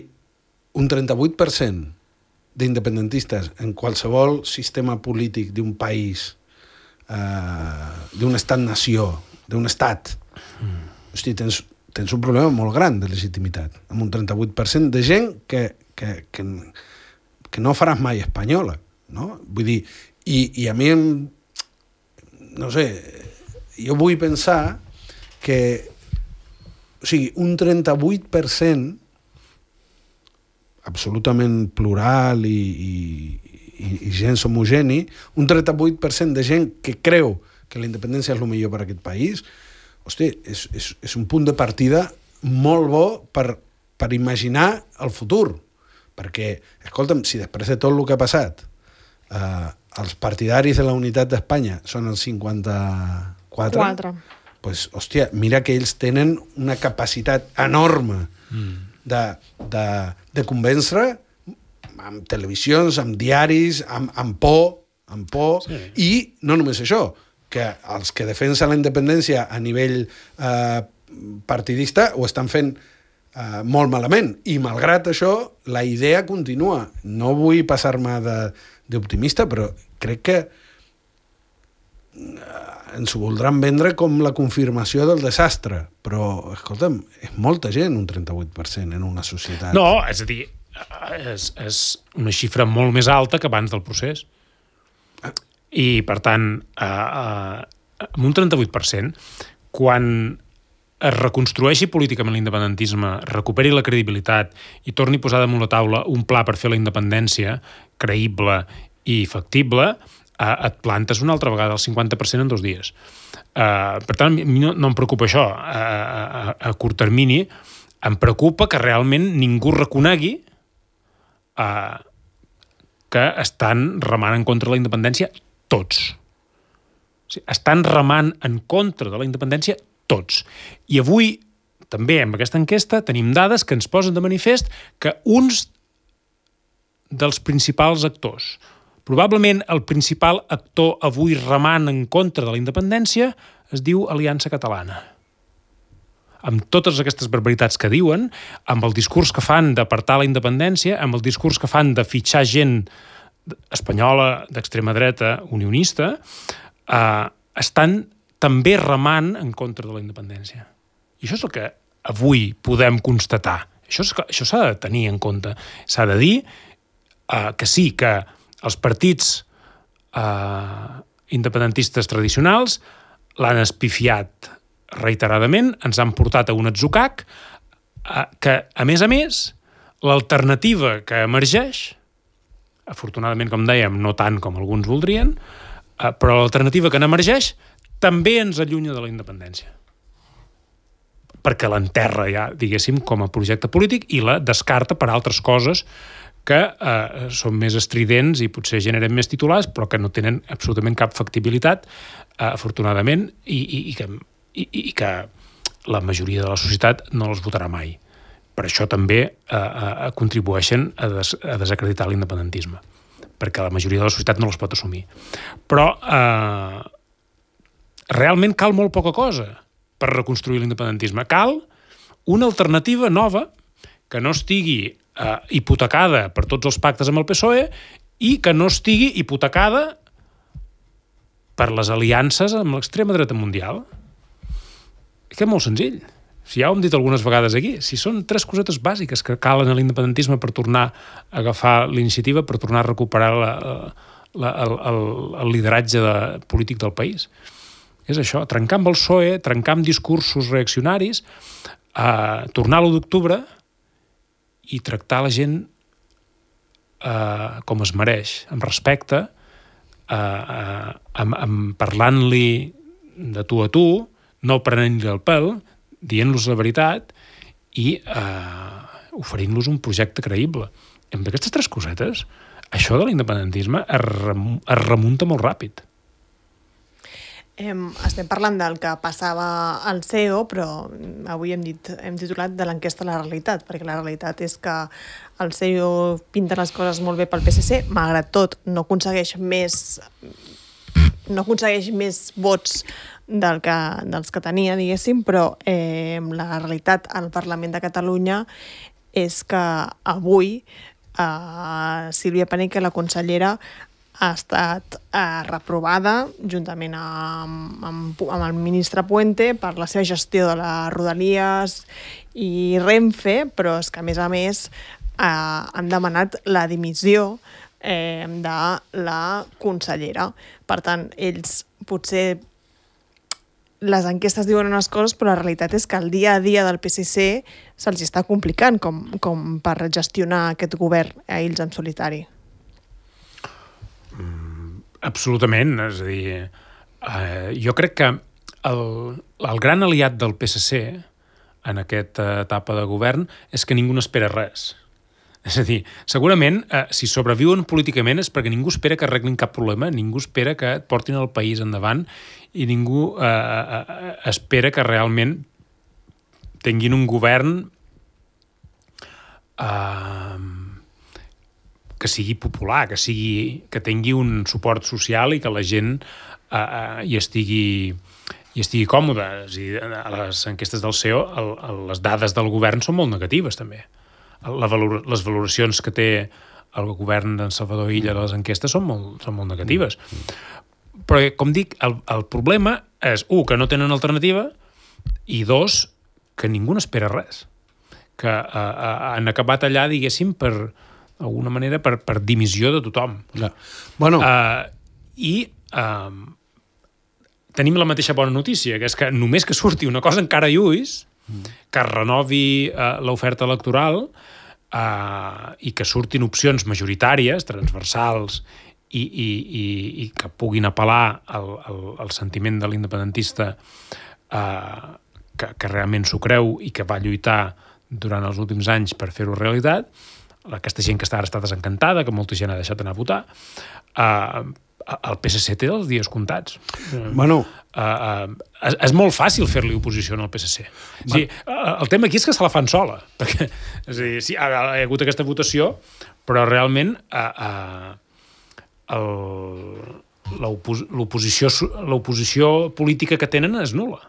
un trenta-vuit per cent d'independentistes en qualsevol sistema polític d'un país, Uh, d'un estat-nació, d'un estat, mm. hosti, tens, tens un problema molt gran de legitimitat, amb un trenta-vuit per cent de gent que, que, que, que no faràs mai espanyola, no? Vull dir, i, i a mi em, no sé, jo vull pensar que, o sigui, un trenta-vuit per cent absolutament plural i, i I, i gens homogeni, un trenta-vuit per cent de gent que creu que la independència és el millor per a aquest país, hosti, és, és, és un punt de partida molt bo per, per imaginar el futur. Perquè, escolta'm, si després de tot el que ha passat eh, els partidaris de la unitat d'Espanya són el cinquanta-quatre, Quatre. pues, hòstia, mira que ells tenen una capacitat enorme mm. de, de, de convèncer amb televisions, amb diaris, amb, amb por, amb por, sí. I no només això, que els que defensen la independència a nivell eh, partidista ho estan fent eh, molt malament, i malgrat això la idea continua. No vull passar-me d'optimista, però crec que ens ho voldran vendre com la confirmació del desastre, però, escolta'm, és molta gent, un trenta-vuit per cent en una societat. No, és a dir, és, és una xifra molt més alta que abans del procés. I, per tant, eh, eh, amb un trenta-vuit per cent, quan es reconstrueixi políticament l'independentisme, recuperi la credibilitat i torni a posar damunt la taula un pla per fer la independència creïble i factible, eh, et plantes una altra vegada el cinquanta per cent en dos dies. Eh, per tant, a mi no, no em preocupa això. A, a, a curt termini em preocupa que realment ningú reconegui Uh, que estan remant en contra de la independència tots. O sigui, estan remant en contra de la independència tots. I avui, també, amb aquesta enquesta, tenim dades que ens posen de manifest que uns dels principals actors, probablement el principal actor avui remant en contra de la independència, es diu Aliança Catalana. Amb totes aquestes barbaritats que diuen, amb el discurs que fan d'apartar la independència, amb el discurs que fan de fitxar gent espanyola d'extrema dreta unionista, eh, estan també remant en contra de la independència. I això és el que avui podem constatar. Això, és, això s'ha de tenir en compte. S'ha de dir eh, que sí, que els partits eh, independentistes tradicionals l'han espifiat reiteradament, ens han portat a un atzucac que, a més a més, l'alternativa que emergeix, afortunadament, com dèiem, no tant com alguns voldrien, però l'alternativa que n'emergeix també ens allunya de la independència. Perquè l'enterra ja, diguéssim, com a projecte polític i la descarta per altres coses que eh, són més estridents i potser generen més titulars, però que no tenen absolutament cap factibilitat, eh, afortunadament, i, i, i que I, i que la majoria de la societat no els votarà mai. Per això també eh, eh, contribueixen a, des, a desacreditar l'independentisme, perquè la majoria de la societat no els pot assumir. Però eh, realment cal molt poca cosa per reconstruir l'independentisme. Cal una alternativa nova que no estigui eh, hipotecada per tots els pactes amb el P S O E i que no estigui hipotecada per les aliances amb l'extrema dreta mundial. Que és molt senzill. Si ja ho hem dit algunes vegades aquí, si són tres cosetes bàsiques que calen a l'independentisme per tornar a agafar l'iniciativa, per tornar a recuperar la, la, el, el, el lideratge de, polític del país. És això, trencar amb el P S O E, trencar amb discursos reaccionaris, uh, tornar a l'u d'octubre i tractar la gent uh, com es mereix, amb respecte, uh, uh, amb, amb parlant-li de tu a tu, no prenent-li el pèl, dient-los la veritat i uh, oferint-los un projecte creïble. Amb aquestes tres cosetes, això de l'independentisme es, rem es remunta molt ràpid. Hem, estem parlant del que passava al C E O, però avui hem, dit, hem titulat de l'enquesta a la realitat, perquè la realitat és que el C E O pinta les coses molt bé pel P S C, malgrat tot no aconsegueix més, no aconsegueix més vots del que, dels que tenia, diguéssim, però eh, la realitat al Parlament de Catalunya és que avui eh, Sílvia Paneque, la consellera, ha estat eh, reprovada juntament amb, amb, amb el ministre Puente per la seva gestió de les Rodalies i Renfe, però és que a més a més eh, han demanat la dimissió eh, de la consellera. Per tant, ells potser les enquestes diuen unes coses, però la realitat és que el dia a dia del P S C se'ls està complicant com, com per gestionar aquest govern a ells en solitari. Mm, absolutament. És a dir, eh, jo crec que el, el gran aliat del P S C en aquesta etapa de govern és que ningú n'espera res. És a dir, segurament, eh, si sobreviuen políticament és perquè ningú espera que arreglin cap problema, ningú espera que portin el país endavant i ningú eh, eh, espera que realment tinguin un govern eh, que sigui popular, que, sigui, que tingui un suport social i que la gent eh, eh, hi estigui i estigui còmode. És a dir, a les enquestes del C E O, el, el, les dades del govern són molt negatives, també. La valor, les valoracions que té el govern d'en Salvador Illa de les enquestes són molt, són molt negatives. Però, com dic, el, el problema és, un, que no tenen alternativa, i dos, que ningú n'espera res. Que uh, uh, han acabat allà, diguéssim, per d'alguna manera, per, per dimissió de tothom. Ja. Bueno. Uh, I uh, tenim la mateixa bona notícia, que és que només que surti una cosa encara lluís, que renovi uh, l'oferta electoral uh, i que surtin opcions majoritàries, transversals, i, i, i, i que puguin apel·lar al, al, al sentiment de l'independentista uh, que, que realment s'ho creu i que va lluitar durant els últims anys per fer-ho realitat, aquesta gent que està ara està desencantada, que molta gent ha deixat d'anar a votar, uh, el P S C té els dies comptats. Bueno. Uh, uh, és, és molt fàcil fer-li oposició al P S C. O sigui, uh, el tema aquí és que se la fan sola. Perquè, és a dir, sí, ha, ha hagut aquesta votació, però realment uh, uh, l'oposició l'oposició política que tenen és nul·la.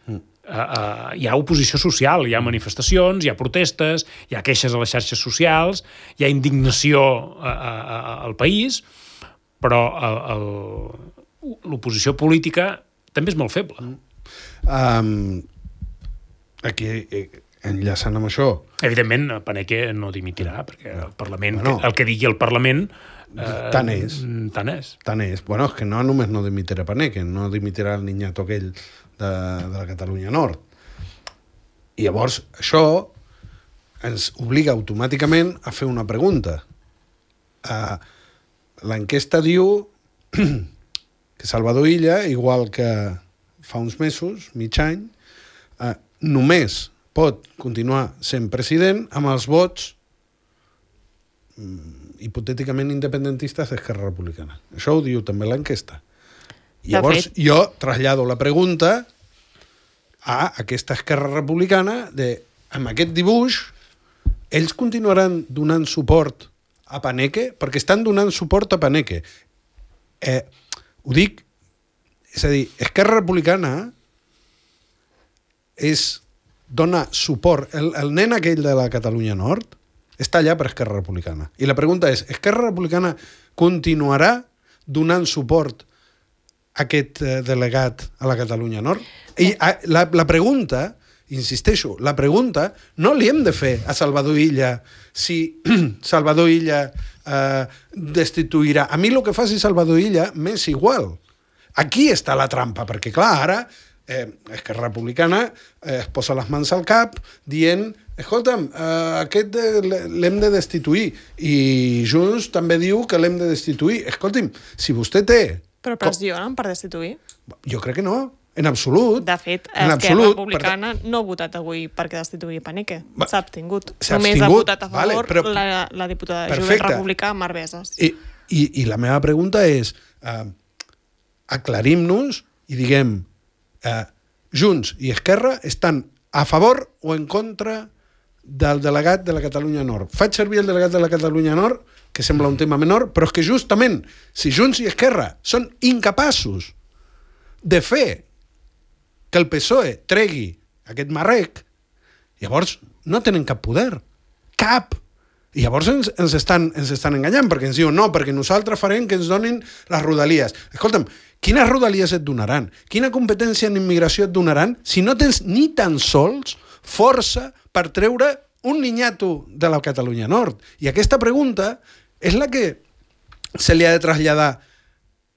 Mm. Uh, uh, hi ha oposició social, hi ha manifestacions, hi ha protestes, hi ha queixes a les xarxes socials, hi ha indignació uh, uh, al país, però l'oposició política també és molt feble. Um, aquí, enllaçant amb això... Evidentment, Paneque no dimitirà, perquè el Parlament, bueno, el que digui el Parlament... Eh, tant és. Tant és. Tant és. Bueno, és que no només no dimitirà Paneque, no dimitirà el niñato aquell de, de la Catalunya Nord. I llavors, això ens obliga automàticament a fer una pregunta. Uh, L'enquesta diu que Salvador Illa, igual que fa uns mesos, mig any, eh, només pot continuar sent president amb els vots mm, hipotèticament independentistes d'Esquerra Republicana. Això ho diu també l'enquesta. Llavors jo trasllado la pregunta a aquesta Esquerra Republicana de, amb aquest dibuix, ells continuaran donant suport a Paneque, perquè estan donant suport a Paneque. Eh, ho dic, és a dir, Esquerra Republicana és, dona suport, el, el nen aquell de la Catalunya Nord està allà per Esquerra Republicana. I la pregunta és, Esquerra Republicana continuarà donant suport a aquest eh, delegat a la Catalunya Nord? I a, la, la pregunta... Insisteixo, la pregunta no li hem de fer a Salvador Illa si Salvador Illa eh, destituirà. A mi el que faci Salvador Illa m'és igual. Aquí està la trampa, perquè clar, ara eh, Esquerra Republicana eh, es posa les mans al cap dient, escolta'm, eh, aquest l'hem de destituir, i Junts també diu que l'hem de destituir. Escolti'm, si vostè té... Però pressionen per destituir? Jo crec que no, en absolut. De fet, en Esquerra absolut, Republicana per... no ha votat avui perquè destituir Paneque. S'ha abstingut. S'ha Només abstingut, ha votat a favor vale, però... la, la diputada de Perfecte. Jovent Republicà, Mar Besas. I, i, I la meva pregunta és, eh, aclarim-nos i diguem, eh, Junts i Esquerra estan a favor o en contra del delegat de la Catalunya Nord. Faig servir el delegat de la Catalunya Nord, que sembla un tema menor, però és que justament, si Junts i Esquerra són incapaços de fer que el P S O E tregui aquest marrec, llavors no tenen cap poder. Cap! I llavors ens, ens, estan, ens estan enganyant, perquè ens diuen no, perquè nosaltres farem que ens donin les rodalies. Escolta'm, quines rodalies et donaran? Quina competència en immigració et donaran si no tens ni tan sols força per treure un niñato de la Catalunya Nord? I aquesta pregunta és la que se li ha de traslladar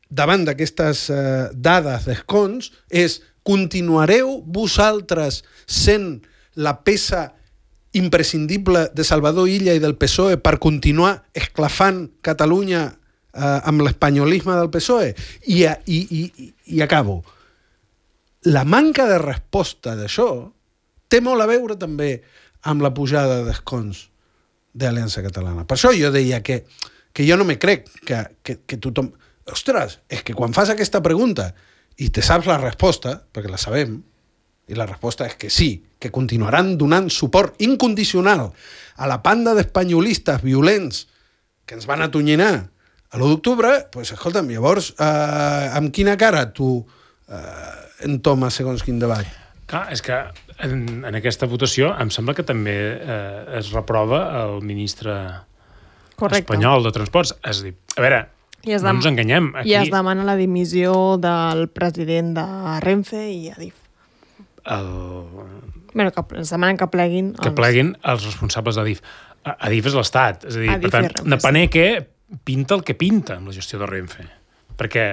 davant d'aquestes eh, dades d'escons, és continuareu vosaltres sent la peça imprescindible de Salvador Illa i del P S O E per continuar esclafant Catalunya eh, amb l'espanyolisme del P S O E? I, i, i, i acabo. La manca de resposta d'això té molt a veure també amb la pujada d'escons d'Aliança Catalana. Per això jo deia que, que jo no me crec que, que, que tothom... Ostres, és que quan fas aquesta pregunta i te saps la resposta, perquè la sabem, i la resposta és que sí, que continuaran donant suport incondicional a la panda d'espanyolistes violents que ens van atonyinar a l'u d'octubre, doncs escolta'm, llavors, eh, amb quina cara tu eh, entomes segons quin debat? Clar, és que en, en aquesta votació em sembla que també eh, es reprova el ministre Correcte. espanyol de Transports. És a dir, a veure, no dem- ens enganyem. Aquí... I es demana la dimissió del president de Renfe i Adif. El... Bueno, que es demanen que pleguin... Que pleguin els responsables d'Adif. Adif és l'Estat. És a dir, Adif per tant, Renfe, de Paneque pinta el que pinta amb la gestió de Renfe. Perquè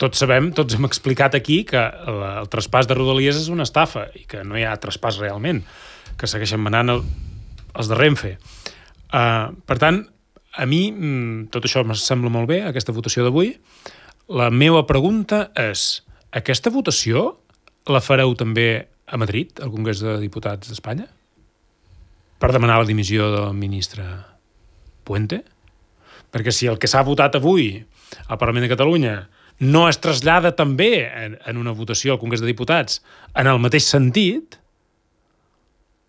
tots sabem, tots hem explicat aquí que el, el traspàs de Rodalies és una estafa i que no hi ha traspàs realment, que segueixen manant el, els de Renfe. Uh, per tant, a mi tot això em sembla molt bé, aquesta votació d'avui. La meva pregunta és, aquesta votació la fareu també a Madrid, al Congrés de Diputats d'Espanya? Per demanar la dimissió del ministre Puente? Perquè si el que s'ha votat avui al Parlament de Catalunya no es trasllada també en, en una votació al Congrés de Diputats en el mateix sentit,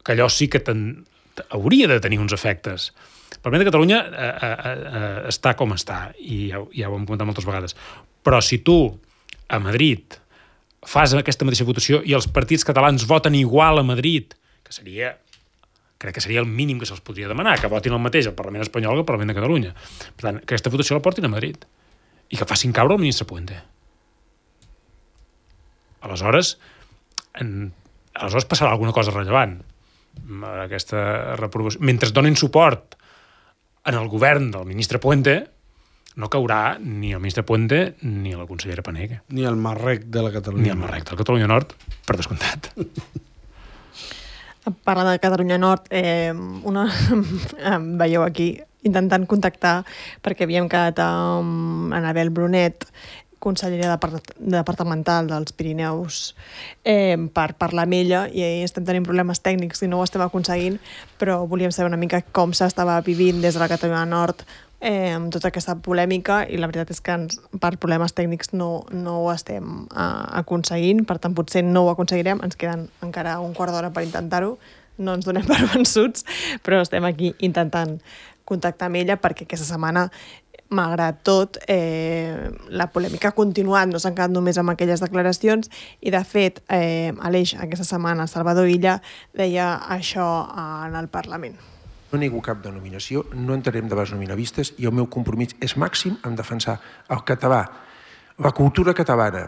que allò sí que ten, hauria de tenir uns efectes. El Parlament de Catalunya eh, eh, eh, està com està, i ja, ja ho hem comentat moltes vegades. Però si tu, a Madrid, fas aquesta mateixa votació i els partits catalans voten igual a Madrid, que seria, crec que seria el mínim que se'ls podria demanar, que votin el mateix al Parlament espanyol que al Parlament de Catalunya. Per tant, que aquesta votació la portin a Madrid i que facin caure el ministre Puente. Aleshores, en, aleshores passarà alguna cosa rellevant. Aquesta reprovació. Mentre donin suport en el govern del ministre Puente, no caurà ni el ministre Puente ni la consellera Paneque. Ni el marrec de la Catalunya Ni el marrec de la Catalunya Nord, per descomptat. Parlant de Catalunya Nord, eh, una, veieu aquí, intentant contactar, perquè havíem quedat amb Anabel Brunet, consellera departamental dels Pirineus, eh, per parlar amb ella, i estem tenint problemes tècnics i no ho estem aconseguint, però volíem saber una mica com s'estava vivint des de la Catalunya Nord eh, amb tota aquesta polèmica, i la veritat és que ens, per problemes tècnics no, no ho estem eh, aconseguint, per tant potser no ho aconseguirem, ens queden encara un quart d'hora per intentar-ho, no ens donem per vençuts, però estem aquí intentant contactar amb ella perquè aquesta setmana, malgrat tot, eh, la polèmica ha continuat, no s'han quedat només amb aquelles declaracions, i de fet, eh, Aleix, aquesta setmana, Salvador Illa deia això en el Parlament. No nego cap denominació, no entrarem debats nominavistes, i el meu compromís és màxim en defensar el català, la cultura catalana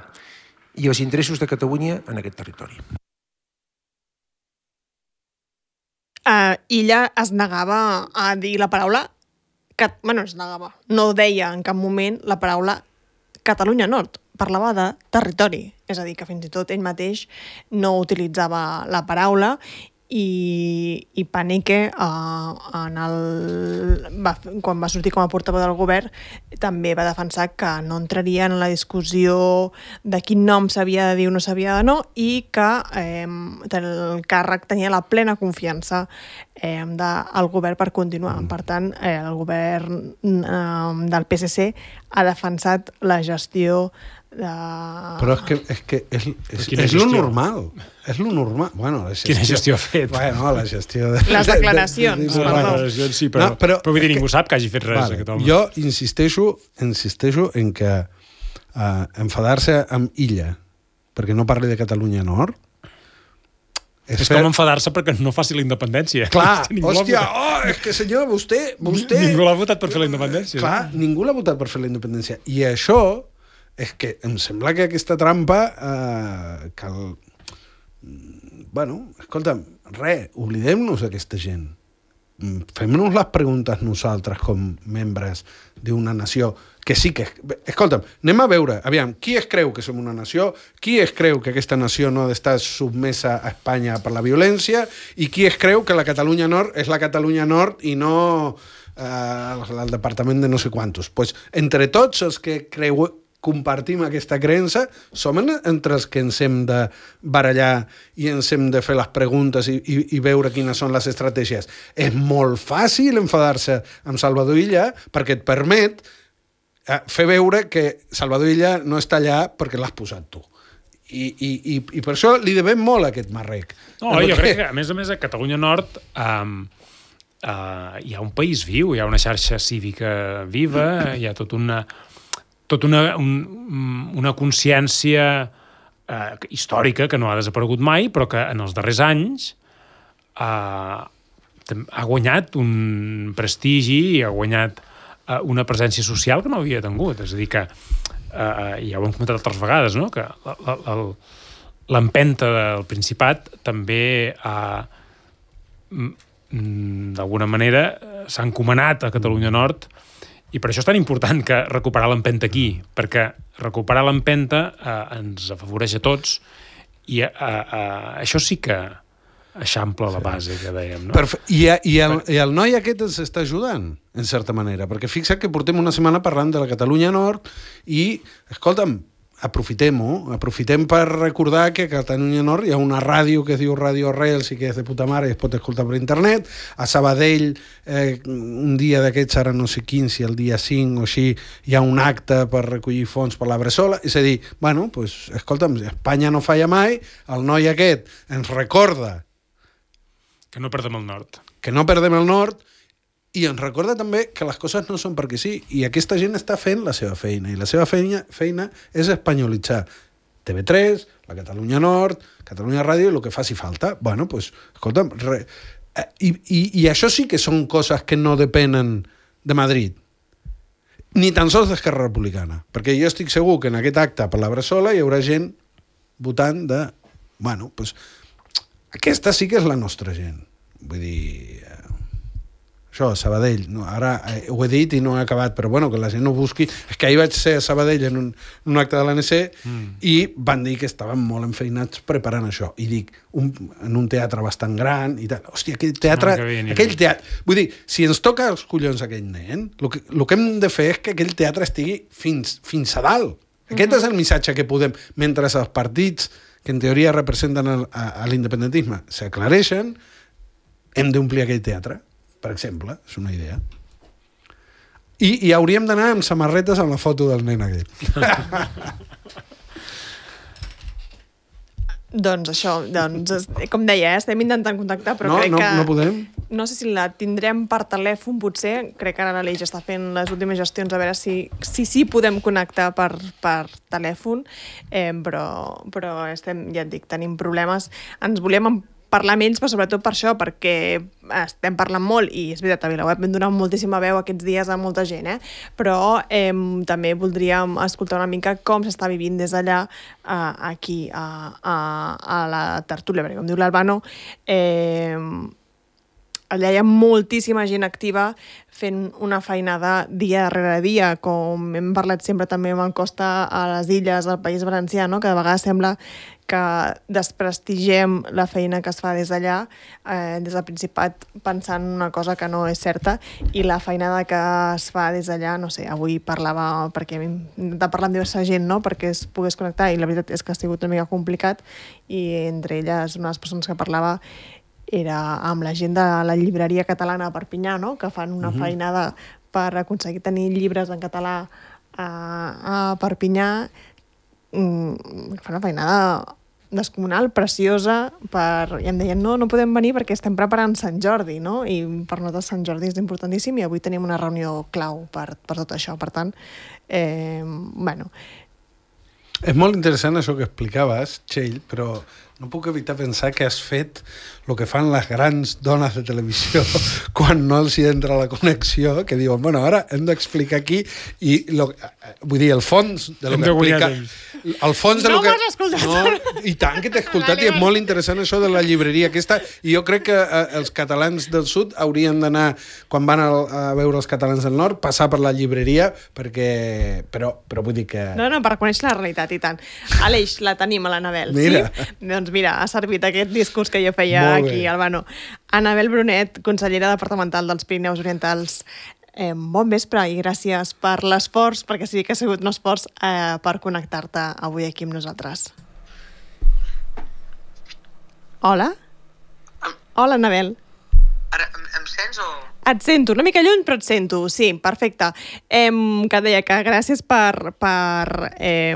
i els interessos de Catalunya en aquest territori. Uh, Illa es negava a dir la paraula que, bueno, es negava. No deia en cap moment la paraula Catalunya Nord. Parlava de territori. és a dir, que fins i tot ell mateix no utilitzava la paraula i, i Panique uh, en el, va, quan va sortir com a portaveu del govern també va defensar que no entraria en la discussió de quin nom s'havia de dir o no s'havia de no i que eh, el càrrec tenia la plena confiança eh, del govern per continuar. Per tant, eh, el govern eh, del P S C ha defensat la gestió de... Però és que és, que és, és, és lo normal. És lo normal. Bueno, la gestió... Quina gestió ha fet? Bueno, la gestió... De, les declaracions, de, de, de, perdó. Les declaracions sí, però, no, però, però vull dir, ningú que, sap que hagi fet res vale, aquest home. Jo insisteixo, insisteixo en que uh, enfadar-se amb Illa perquè no parli de Catalunya Nord és, és fer... com enfadar-se perquè no faci la independència. Clar, hòstia, oh, és que senyor, vostè... vostè... Ningú l'ha votat per fer la independència. Clar, no? Ningú l'ha votat per fer la independència. I això és que em sembla que aquesta trampa eh, cal... Bueno, escolta'm, res, oblidem-nos d'aquesta gent. Fem-nos les preguntes nosaltres com membres d'una nació que sí que... Escolta'm, anem a veure, aviam, qui es creu que som una nació, qui es creu que aquesta nació no ha d'estar submesa a Espanya per la violència i qui es creu que la Catalunya Nord és la Catalunya Nord i no eh, el departament de no sé quantos. Pues, entre tots els que creu... compartim aquesta creença, som entre els que ens hem de barallar i ens hem de fer les preguntes i, i, i veure quines són les estratègies. És molt fàcil enfadar-se amb Salvador Illa perquè et permet eh, fer veure que Salvador Illa no està allà perquè l'has posat tu. I, i, i, i per això li devem molt a aquest marrec. No, jo crec que, a més a més, a Catalunya Nord um, uh, hi ha un país viu, hi ha una xarxa cívica viva, hi ha tot una... tot una, un, una consciència eh, històrica que no ha desaparegut mai, però que en els darrers anys eh, ha guanyat un prestigi i ha guanyat eh, una presència social que no havia tingut. És a dir, que eh, ja ho hem comentat altres vegades, no? Que l'empenta del Principat també ha, d'alguna manera, s'ha encomanat a Catalunya Nord. I per això és tan important que recuperar l'empenta aquí, perquè recuperar l'empenta eh, ens afavoreix a tots i eh, eh, això sí que eixampla la base que dèiem. No? Perfe- I, i, el, I el noi aquest ens està ajudant, en certa manera, perquè fixa't que portem una setmana parlant de la Catalunya Nord i, escolta'm, aprofitem-ho, aprofitem per recordar que a Catalunya Nord hi ha una ràdio que es diu Ràdio Arrels i que és de puta mare i es pot escoltar per internet. A Sabadell, eh, un dia d'aquests, ara no sé quin, si el dia cinc o així, hi ha un acte per recollir fons per la Bressola. És a dir, bueno, pues, escolta'm, Espanya no falla mai, el noi aquest ens recorda que no perdem el nord. Que no perdem el nord, i ens recorda també que les coses no són perquè sí, i aquesta gent està fent la seva feina, i la seva feina, feina és espanyolitzar T V tres, la Catalunya Nord, Catalunya Ràdio, el que faci falta. Bueno, doncs, pues, escolta'm, re... I, i, i això sí que són coses que no depenen de Madrid, ni tan sols d'Esquerra Republicana, perquè jo estic segur que en aquest acte per la Bressola hi haurà gent votant de... Bueno, doncs, pues, aquesta sí que és la nostra gent. Vull dir... Això, Sabadell, no, ara eh, ho he dit i no he acabat, però bueno, que la gent no busqui... És que ahir vaig ser a Sabadell en un, un acte de l'A N C mm. i van dir que estaven molt enfeinats preparant això. I dic, un, en un teatre bastant gran i tal. Hòstia, aquell teatre... No, aquell teatre... Vull dir, si ens toca els collons aquell nen, el que, el que hem de fer és que aquell teatre estigui fins, fins a dalt. Aquest mm-hmm. és el missatge que podem... Mentre els partits que en teoria representen el, a, a l'independentisme s'aclareixen, hem d'omplir aquell teatre. Per exemple, és una idea. I, i hauríem d'anar amb samarretes amb la foto del nen aquest. Doncs això, doncs, com deia, eh, estem intentant contactar, però no, crec no, que... No podem. No sé si la tindrem per telèfon, potser. Crec que ara l'Aleix està fent les últimes gestions a veure si sí si podem connectar per, per telèfon, eh, però, però estem, ja et dic, tenim problemes. Ens volíem parlar amb ells, però sobretot per això, perquè estem parlant molt, i és veritat, a VilaWeb hem donat moltíssima veu aquests dies a molta gent, eh? Però eh, també voldríem escoltar una mica com s'està vivint des d'allà eh, aquí a, a, a la tertúlia, perquè com diu l'Albano, eh, allà hi ha moltíssima gent activa fent una feinada dia darrere dia, com hem parlat sempre també amb el Costa a les illes, al País Valencià, no? Que de vegades sembla que desprestigiem la feina que es fa des d'allà, eh, des del Principat, pensant una cosa que no és certa, i la feinada que es fa des d'allà, no sé, avui parlava, perquè hem intentat parlar amb diversa gent, no?, perquè es pogués connectar, i la veritat és que ha sigut una mica complicat, i entre elles, una de les persones que parlava era amb la gent de la llibreria catalana a Perpinyà, no?, que fan una uh-huh. feinada per aconseguir tenir llibres en català a, a Perpinyà, mm, fan una feinada descomunal, preciosa, per... i em deien, no, no podem venir perquè estem preparant Sant Jordi, no?, i per nosaltres Sant Jordi és importantíssim i avui tenim una reunió clau per, per tot això. Per tant, eh, bueno... És molt interessant això que explicaves, Txell, però no puc evitar pensar que has fet el que fan les grans dones de televisió quan no els hi entra la connexió, que diuen, bueno, ara hem d'explicar aquí, i lo, vull dir, el fons de lo hem que explica... El fons de no lo que... m'has escoltat! No, i tant que t'he escoltat, vale, i és molt interessant això de la llibreria aquesta, i jo crec que eh, els catalans del sud haurien d'anar, quan van a, a veure els catalans del nord, passar per la llibreria, perquè... Però, però vull dir que... No, no, per conèixer la realitat, i tant. Aleix, la tenim a l'Anabel, mira. Sí? Doncs mira, ha servit aquest discurs que jo feia aquí, Albano. Anabel Brunet, consellera departamental dels Pirineus Orientals. Eh, bon vespre i gràcies per l'esforç, perquè sí que ha sigut un esforç eh, per connectar-te avui aquí amb nosaltres. Hola? Hola, Anabel. Ara, em, em sents o...? Et sento, una mica lluny, però et sento. Sí, perfecte. Eh, que et deia que gràcies per... per eh,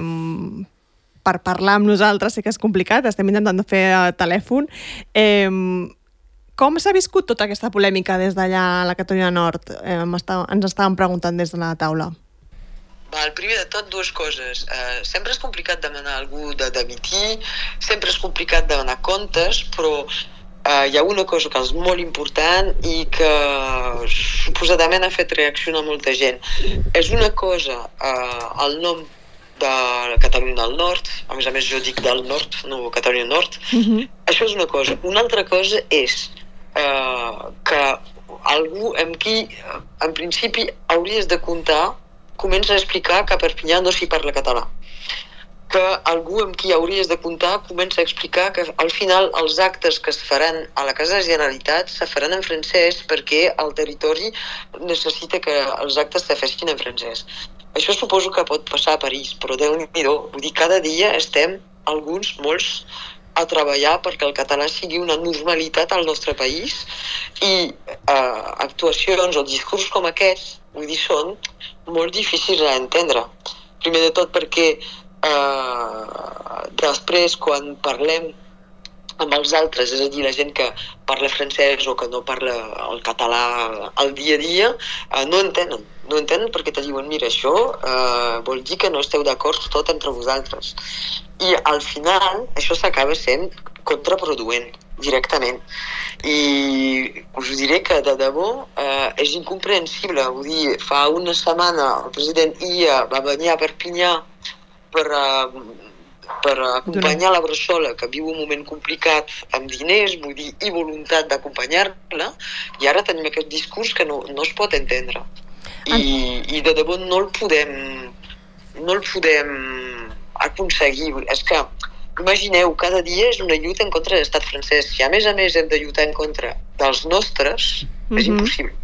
per parlar amb nosaltres, sé que és complicat, estem intentant fer el telèfon. Eh, com s'ha viscut tota aquesta polèmica des d'allà a la Catalunya Nord? Eh, ens estàvem preguntant des de la taula. Val, primer de tot, dues coses. Uh, sempre és complicat demanar a algú de dimitir, sempre és complicat demanar comptes, però uh, hi ha una cosa que és molt important i que suposadament ha fet reaccionar molta gent. És una cosa, uh, el nom de Catalunya del Nord, a més a més jo dic del Nord, no Catalunya Nord, uh-huh. Això és una cosa. Una altra cosa és eh, que algú amb qui, en principi, hauries de comptar, comença a explicar que a Perpinyà no s'hi parla català. Que algú amb qui hauries de comptar comença a explicar que al final els actes que es faran a la Casa de la Generalitat se faran en francès perquè el territori necessita que els actes se fessin en francès. Això suposo que pot passar a París, però Déu-n'hi-do, vull dir, cada dia estem, alguns, molts, a treballar perquè el català sigui una normalitat al nostre país i eh, actuacions o discurs com aquests, vull dir, són molt difícils d'entendre. Primer de tot perquè eh, després, quan parlem amb els altres, és a dir, la gent que parla francès o que no parla el català al dia a dia, eh, no entenen. No entenen perquè te diuen, mira, això eh, vol dir que no esteu d'acord tot entre vosaltres. I al final això s'acaba sent contraproduent, directament. I us diré que de debò eh, és incomprensible. Vull dir, fa una setmana el president Illa va venir a Perpinyà per... Eh, per acompanyar la Bressola, que viu un moment complicat amb diners, vull dir, i voluntat d'acompanyar-la, i ara tenim aquest discurs que no, no es pot entendre. I, i de debò no el podem no el podem aconseguir. És que, imagineu, cada dia és una lluita en contra de l'estat francès. Si a més a més hem de lluitar en contra dels nostres, mm-hmm. és impossible.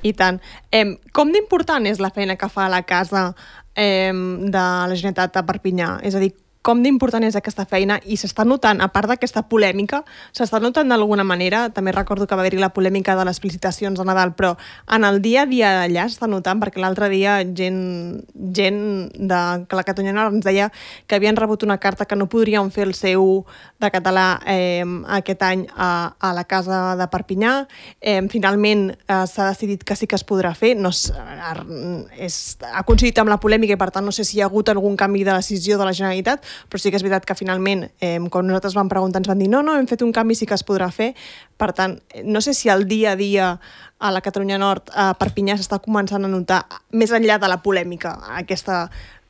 I tant. Eh, com d'important és la feina que fa a la Casa eh, de la Generalitat a Perpinyà? És a dir, com d'important és aquesta feina i s'està notant, a part d'aquesta polèmica, s'està notant d'alguna manera, també recordo que va haver-hi la polèmica de les felicitacions de Nadal, però en el dia a dia d'allà s'està notant, perquè l'altre dia gent, gent de la Catalunya Nord ens deia que havien rebut una carta que no podrien fer el C U de català eh, aquest any a, a la Casa de Perpinyà. Eh, finalment eh, s'ha decidit que sí que es podrà fer, no és, és, ha coincidit amb la polèmica i per tant no sé si hi ha hagut algun canvi de decisió de la Generalitat, però sí que és veritat que finalment, eh, quan nosaltres vam preguntar, ens van dir no, no, hem fet un canvi, sí que es podrà fer. Per tant, no sé si el dia a dia a la Catalunya Nord, a Perpinyà, s'està començant a notar, més enllà de la polèmica aquesta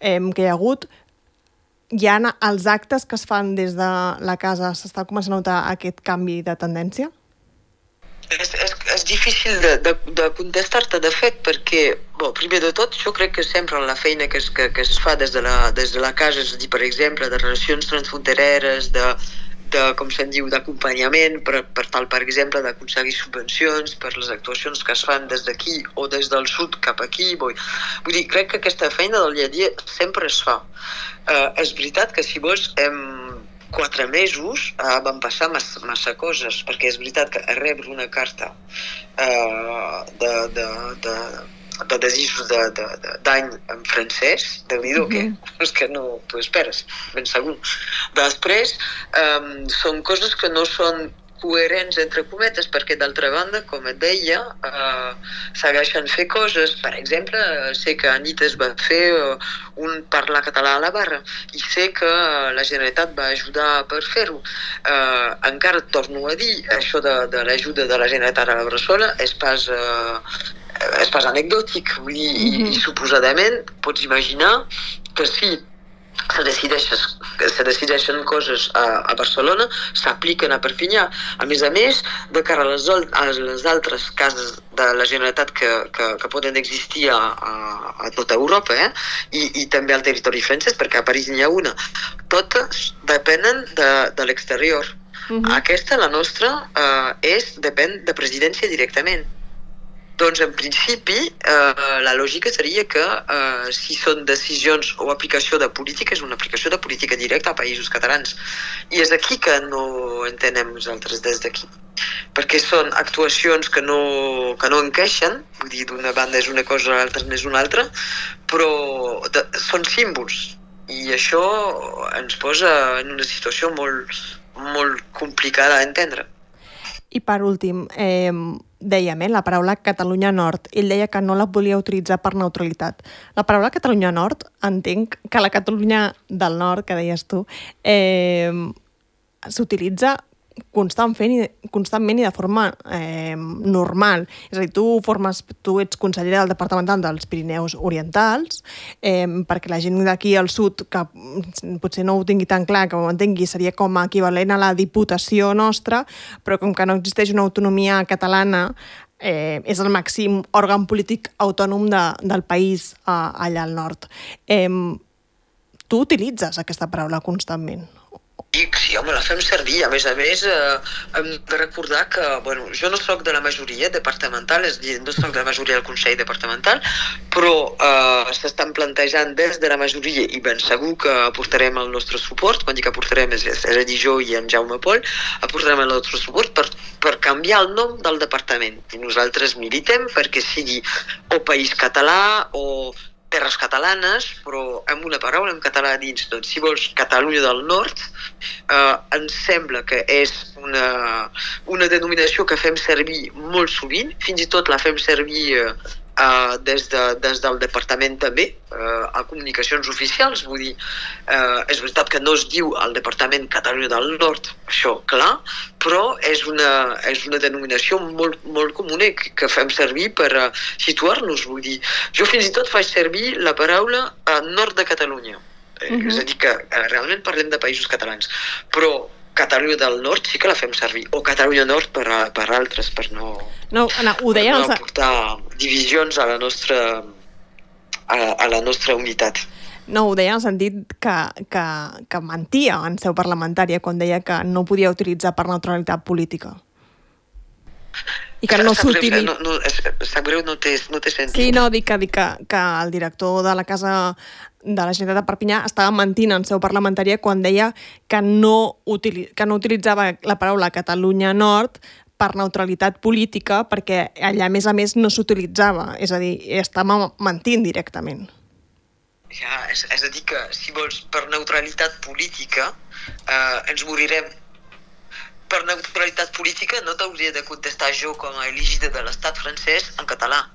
eh, que hi ha hagut, hi ha els actes que es fan des de la casa, s'està començant a notar aquest canvi de tendència? És, és, és difícil de, de, de contestar-te, de fet, perquè, bo, primer de tot, jo crec que sempre la feina que es, que, que es fa des de, la, des de la casa, és a dir, per exemple, de relacions transfrontereres, de, de com se'n diu, d'acompanyament, per, per tal, per exemple, d'aconseguir subvencions per les actuacions que es fan des d'aquí o des del sud cap aquí. Vull, vull dir, crec que aquesta feina del dia a dia sempre es fa. Uh, és veritat que, si vols, hem quatre mesos uh, van passar massa, massa coses, perquè és veritat que a rebre una carta uh, de, de, de, de desitjos de, de, de, d'any en francès, déu-n'hi-do, mm-hmm. que és que no t'ho esperes, ben segur. Després, um, són coses que no són coherents, entre cometes, perquè d'altra banda, com et deia, eh, segueixen fer coses. Per exemple, sé que a nit es va fer uh, un parlar català a la barra i sé que la Generalitat va ajudar per fer-ho. Eh, encara et torno a dir, això de, de l'ajuda de la Generalitat a la Bressola és pas, eh, és pas anecdòtic. Vull dir, mm-hmm. i, i suposadament pots imaginar que si se decideixen, se decideixen coses a, a Barcelona, s'apliquen a Perpinyà. A més a més, de cara a les, a les altres cases de la Generalitat que, que, que poden existir a, a, a tota Europa, eh? I, i també al territori francès, perquè a París n'hi ha una. Totes depenen de, de l'exterior. Uh-huh. Aquesta, la nostra, eh, és, depèn de presidència directament. Doncs, en principi, eh, la lògica seria que eh, si són decisions o aplicació de política, és una aplicació de política directa a països catalans. I és aquí que no entenem nosaltres des d'aquí. Perquè són actuacions que no, que no encaixen, vull dir, d'una banda és una cosa, l'altra n'és una altra, però de, són símbols. I això ens posa en una situació molt, molt complicada a entendre. I per últim, eh, dèiem, eh, la paraula Catalunya Nord. Ell deia que no la volia utilitzar per neutralitat. La paraula Catalunya Nord, entenc que la Catalunya del Nord, que deies tu, eh, s'utilitza constantment i, constantment i de forma eh, normal. És a dir, tu, formes, tu ets consellera del Departamental dels Pirineus Orientals, eh, perquè la gent d'aquí al sud, que potser no ho tingui tan clar, que ho entengui, seria com a equivalent a la Diputació nostra, però com que no existeix una autonomia catalana, eh, és el màxim òrgan polític autònom de, del país eh, allà al nord. Eh, tu utilitzes aquesta paraula constantment. Sí, home, la fem servir. A més a més, eh, hem de recordar que, bueno, jo no soc de la majoria departamental, és a dir, no soc de la majoria del Consell Departamental, però eh, s'estan plantejant des de la majoria, i ben segur que aportarem el nostre suport, quan dic que aportarem és, és a dir, jo i en Jaume Pol, aportarem el nostre suport per, per canviar el nom del departament. I nosaltres militem perquè sigui o País Català o Terres Catalanes, però amb una paraula en català dins. Doncs, si vols, Catalunya del Nord, eh, ens sembla que és una, una denominació que fem servir molt sovint, fins i tot la fem servir eh, Uh, des, de, des del departament també, uh, a comunicacions oficials, vull dir, uh, és veritat que no es diu el Departament Catalunya del Nord, això clar, però és una, és una denominació molt, molt comuna que, que fem servir per uh, situar-nos, vull dir. Jo fins i tot faig servir la paraula uh, nord de Catalunya, uh-huh. És a dir que uh, realment parlem de països catalans, però Catalunya del Nord sí que la fem servir, o Catalunya Nord per, a, per altres, per no, no, Anna, ho per no els... portar divisions a la nostra, a, a la nostra unitat. No, ho deia en el sentit que, que, que mentia en seu parlamentària quan deia que no podia utilitzar per neutralitat política. I que no s'utilitza... No, no, sap greu, no té, no té sentit. Sí, no, dic que, dic que, que el director de la Casa de la Generalitat de Perpinyà estava mentint en seu parlamentària quan deia que no, utili... que no utilitzava la paraula Catalunya Nord per neutralitat política perquè allà, a més a més, no s'utilitzava. És a dir, estava mentint directament. Ja, és, és a dir que, si vols, per neutralitat política eh, ens morirem. Per neutralitat política no t'hauria de contestar jo com a elegida de l'estat francès en català.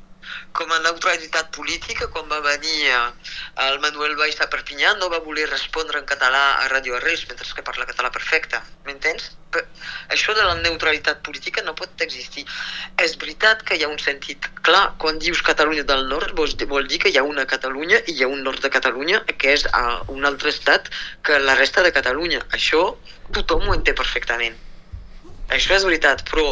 Com a neutralitat política, quan va venir el Manuel Valls a Perpinyà, no va voler respondre en català a Radio Arrels, mentre que parla català perfecte. M'entens? Això de la neutralitat política no pot existir. És veritat que hi ha un sentit clar. Quan dius Catalunya del Nord, vol dir que hi ha una Catalunya i hi ha un nord de Catalunya que és un altre estat que la resta de Catalunya. Això tothom ho entén perfectament. Això és veritat, però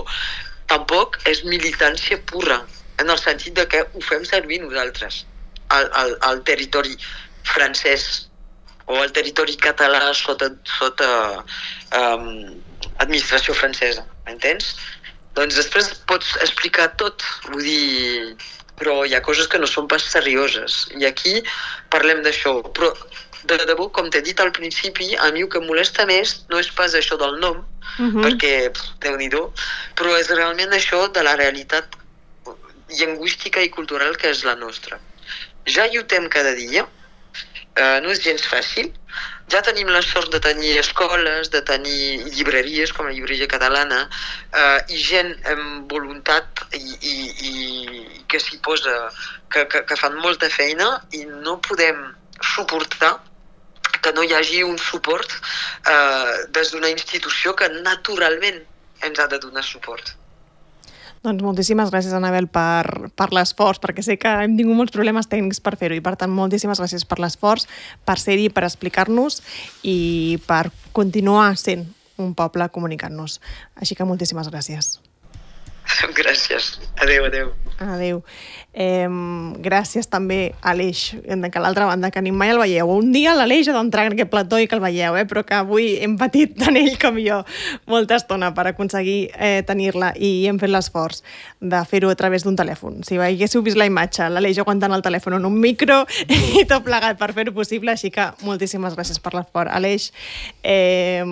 tampoc és militància pura, en el sentit de que ho fem servir nosaltres, al, al, al territori francès o al territori català sota, sota um, administració francesa, entens? Doncs després pots explicar tot, vull dir, però hi ha coses que no són pas serioses, i aquí parlem d'això, però de debò, com t'he dit al principi, a mi el que em molesta més no és pas això del nom, uh-huh. perquè, déu-n'hi-do, però és realment això de la realitat lingüística i cultural que és la nostra. Ja lluitem cada dia, eh, no és gens fàcil, ja tenim la sort de tenir escoles, de tenir llibreries com la llibreria catalana, eh, i gent amb voluntat i, i, i que s'hi posa, que, que, que fan molta feina, i no podem suportar que no hi hagi un suport eh, des d'una institució que naturalment ens ha de donar suport. Doncs moltíssimes gràcies, Anabel, per, per l'esforç, perquè sé que hem tingut molts problemes tècnics per fer-ho, i per tant moltíssimes gràcies per l'esforç, per ser-hi, per explicar-nos i per continuar sent un poble comunicant-nos. Així que moltíssimes gràcies. Gràcies. Adéu, adéu. Adéu. Eh, gràcies també a l'Aleix, que a l'altra banda, que ni mai el veieu. Un dia l'Aleix ha d'entrar en aquest plató i que el veieu, eh? Però que avui hem patit tant ell com jo molta estona per aconseguir eh, tenir-la, i hem fet l'esforç de fer-ho a través d'un telèfon. Si veiéssiu vist la imatge, l'Aleix aguantant el telèfon en un micro i tot plegat per fer-ho possible, així que moltíssimes gràcies per l'esforç, Aleix. Eh,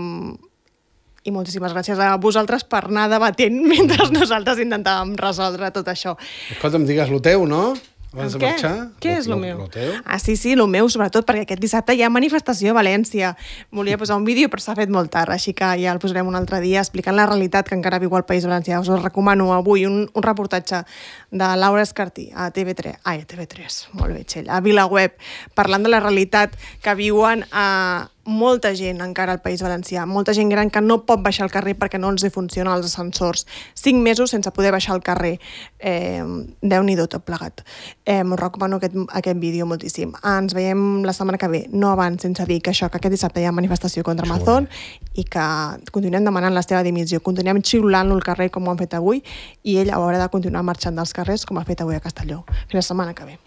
I moltíssimes gràcies a vosaltres per anar debatent mentre nosaltres intentàvem resoldre tot això. Escolta'm, digues lo teu, no? Abans de què? marxar. Què lo, és lo, lo meu? Lo teu? Ah, sí, sí, lo meu, sobretot, perquè aquest dissabte hi ha manifestació a València. Volia posar un vídeo, però s'ha fet molt tard, així que ja el posarem un altre dia explicant la realitat que encara viu al País Valencià. Us recomano avui un, un reportatge de Laura Escartí a T V tres, ai, a T V tres, molt bé, Txell, a VilaWeb, parlant de la realitat que viuen a molta gent encara al País Valencià, molta gent gran que no pot baixar al carrer perquè no els hi funcionen els ascensors. Cinc mesos sense poder baixar al carrer. Eh, Déu-n'hi-do tot plegat. Eh, us recomano aquest, aquest vídeo moltíssim. Ens veiem la setmana que ve, no abans, sense dir que això, que aquest dissabte hi ha manifestació contra Amazon i que continuem demanant la seva dimissió, continuem xiulant-lo al carrer com ho han fet avui, i ell haurà de continuar marxant dels carrers com ha fet avui a Castelló. Fins la setmana que ve.